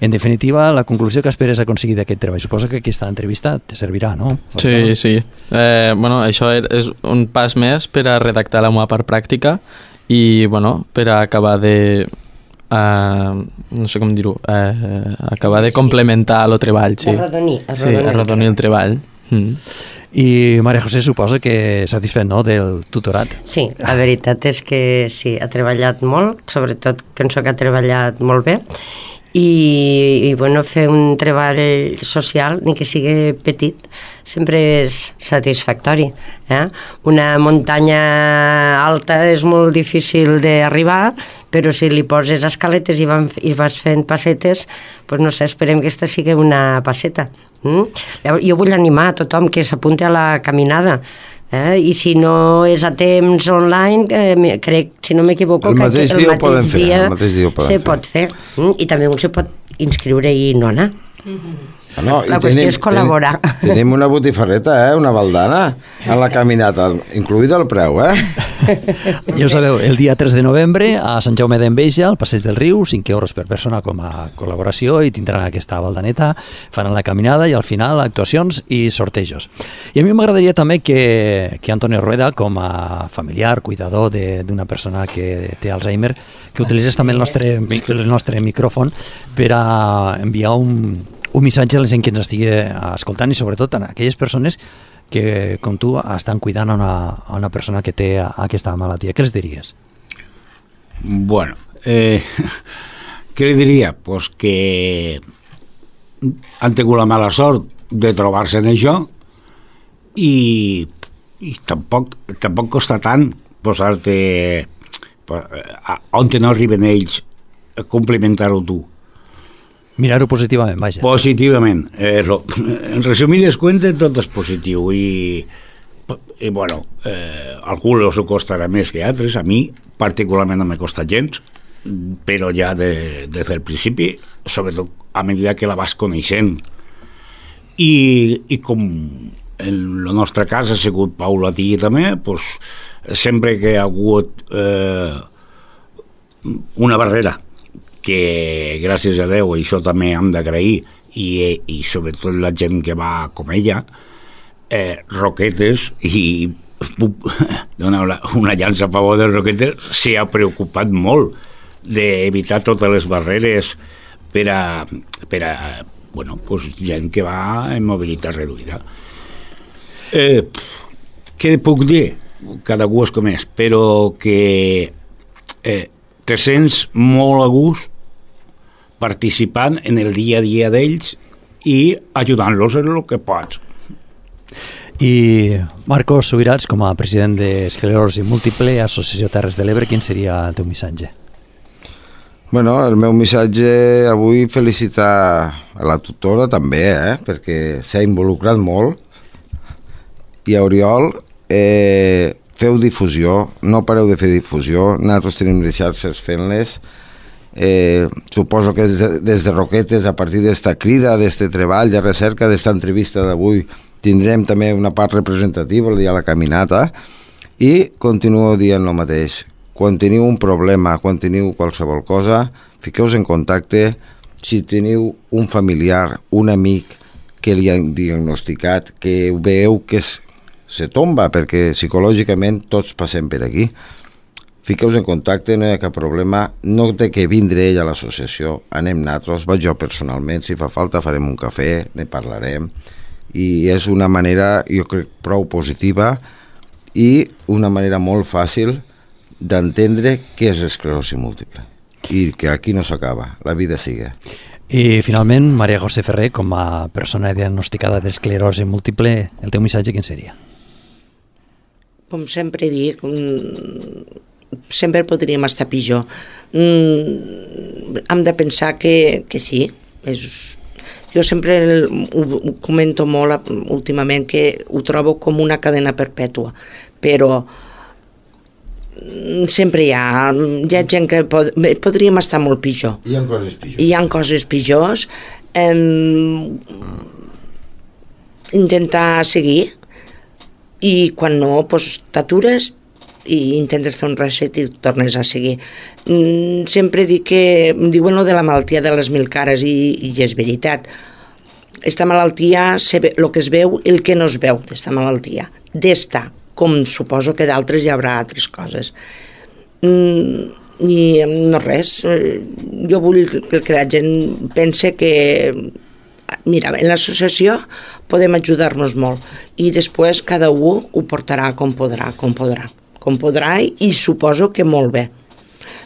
En definitiva, la conclusió que esperes aconseguir d'aquest treball, suposo que aquesta entrevista te servirà, no? Sí, sí. Eh, bueno, això és un pas més per a redactar la meva part pràctica i, bueno, per a acabar de... Uh, no sé com dir-ho, uh, acabar de complementar el treball, sí. Arrodonir, arrodonir, sí, arrodonir el treball. Mm. I Maria José suposa que satisfet, no?, del tutorat. Sí, la veritat és que sí, ha treballat molt, sobretot penso que ha treballat molt bé, i, i bueno, fer un treball social, ni que sigui petit, sempre és satisfactori. Eh? Una muntanya alta és molt difícil d'arribar, però si li poses escaletes i, van, i vas fent passetes, doncs no sé, esperem que aquesta sigui una passeta. Mm? Jo vull animar a tothom que s'apunti a la caminada, eh? I si no és a temps online, eh, crec, si no m'equivoco, el que mateix el dia mateix fer, dia, el mateix dia se pot fer. Mm? I també un se pot inscriure i no anar. Mm-hmm. Ah, no, la qüestió tenim, és col·laborar. Tenim, tenim una botifarreta, eh? Una baldana a la caminata, incluïda el preu, eh? Ja ho sabeu, el dia tres de novembre a Sant Jaume d'Enveja, al Passeig del Riu, cinc euros per persona com a col·laboració, i tindran aquesta baldaneta, faran la caminada i al final actuacions i sortejos. I a mi m'agradaria també que, que Antonio Rueda, com a familiar, cuidador d'una persona que té Alzheimer, que utilitzés també el nostre, el nostre micròfon per a enviar un un missatge a la gent que ens estigui escoltant i sobretot a aquelles persones que, com tu, estan cuidant a una, a una persona que té aquesta malaltia. Què els diries? Bueno, eh, què li diria? Pues que han tingut la mala sort de trobar-se en això i, i tampoc, tampoc costa tant posar-te on no arriben ells a complimentar-ho tu. Mirar-ho positivament, vaja. Positivament. Eh, en resumides cuentes, tot és positiu i, i bueno, eh, a algú els costarà més que a altres. A mi, particularment, no me costa gens, però ja de, des del principi, sobretot a mesura que la vas coneixent. I, i com en el nostre cas ha sigut paulatí també, pues, sempre que ha hagut eh, una barrera que gràcies a Déu això també hem d'agrair i, i sobretot la gent que va com ella, eh, Roquetes, i dona una llança a favor dels Roquetes, s'hi ha preocupat molt d'evitar totes les barreres per a, per a bueno, pues, gent que va en mobilitat reduïda. Eh, què puc dir? Cada gú és com és, però que eh, te sents molt a gust participant en el dia a dia d'ells i ajudant-los en el que pots. I Marcos Subirats, com a president d'Esclerosi Múltiple, Associació Terres de l'Ebre, quin seria el teu missatge? Bueno, el meu missatge avui felicitar a la tutora també, eh? Perquè s'ha involucrat molt, i a Oriol eh, feu difusió, no pareu de fer difusió, nosaltres tenim les xarxes fent-les. Eh, suposo que des de, des de Roquetes, a partir d'esta crida, d'este treball de recerca, d'esta entrevista d'avui, tindrem també una part representativa el dia de la caminata, I continuo dient el mateix. Quan teniu un problema, quan teniu qualsevol cosa, fiqueu-vos en contacte. Si teniu un familiar, un amic que li han diagnosticat, que veieu que es, se tomba, perquè psicològicament tots passem per aquí, fiqueu-vos en contacte, no hi ha cap problema, no té que vindre ell a l'associació, anem nosaltres, vaig jo personalment, si fa falta farem un cafè, ne parlarem, i és una manera, jo crec, prou positiva i una manera molt fàcil d'entendre què és esclerosi múltiple i que aquí no s'acaba, la vida sigue. I finalment, Maria José Ferrer, com a persona diagnosticada d'esclerosi múltiple, el teu missatge quin seria? Com sempre dic, sempre podríem estar pitjor. Mm, hem de pensar que, que sí. És, jo sempre ho, ho comento molt últimament, que ho trobo com una cadena perpètua, però sempre hi ha, hi ha gent que pod, podríem estar molt pitjor. Hi ha coses pitjors. Hi ha coses pitjors. Eh, intentar seguir, i quan no, doncs t'atures i intentes fer un reset i tornes a seguir. Mm, sempre dic que em diuen lo de la malaltia de les mil cares, i, i és veritat. Esta malaltia, el que es veu i el que no es veu d'esta malaltia, d'esta, com suposo que d'altres hi haurà altres coses. Mm, i no res, jo vull que la gent pense que, mira, en l'associació podem ajudar-nos molt, i després cada un ho portarà com podrà, com podrà, com podrà, i suposo que molt bé.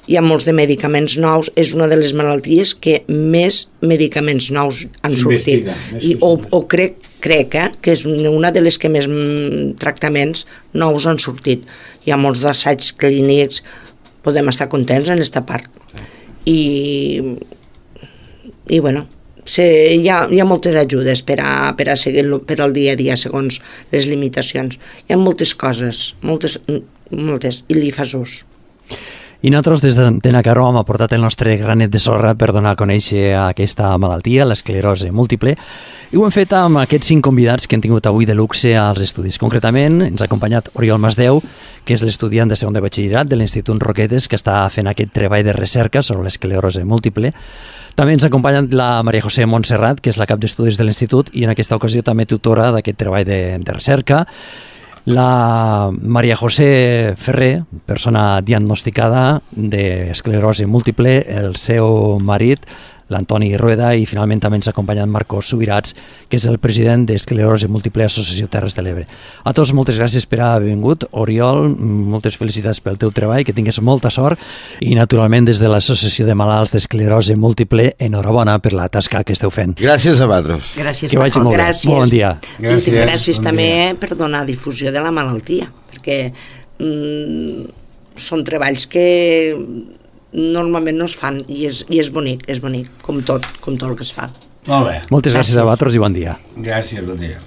Hi ha molts de medicaments nous, és una de les malalties que més medicaments nous han sortit, i, o, o crec, crec eh, que és una de les que més tractaments nous han sortit. Hi ha molts assaigs clínics, podem estar contents en aquesta part. I, i bueno, se, hi, ha, hi ha moltes ajudes per a, per a seguir per al dia a dia segons les limitacions. Hi ha moltes coses, moltes, moltes, i li fas ús. I nosaltres des d'Antena Caro hem aportat el nostre granet de sorra per donar a conèixer aquesta malaltia, l'esclerosi múltiple, i ho hem fet amb aquests cinc convidats que hem tingut avui de luxe als estudis. Concretament, ens ha acompanyat Oriol Masdeu, que és l'estudiant de segon de batxillerat de l'Institut Roquetes, que està fent aquest treball de recerca sobre l'esclerosi múltiple. També ens ha acompanyat la Maria José Montserrat, que és la cap d'estudis de l'Institut i en aquesta ocasió també tutora d'aquest treball de, de recerca. La Maria José Ferrer, persona diagnosticada d'esclerosi múltiple, el seu marit, l'Antoni Rueda, i finalment també ens ha acompanyat Marcos Subirats, que és el president d'Esclerosi Múltiple Associació Terres de l'Ebre. A tots moltes gràcies per haver vingut. Oriol, moltes felicitats pel teu treball, que tingues molta sort, i naturalment des de l'Associació de Malalts d'Esclerosi Múltiple, enhorabona per la tasca que esteu fent. Gràcies a vosaltres. Gràcies, que vagi molt bé. Gràcies. Molt bon dia. Gràcies, I gràcies bon també dia. Per donar difusió de la malaltia, perquè mm, són treballs que normalment no es fan, i és, i és bonic, és bonic, com tot, com tot el que es fa. Molt bé. Moltes gràcies, gràcies a vosaltres i bon dia. Gràcies, bon dia.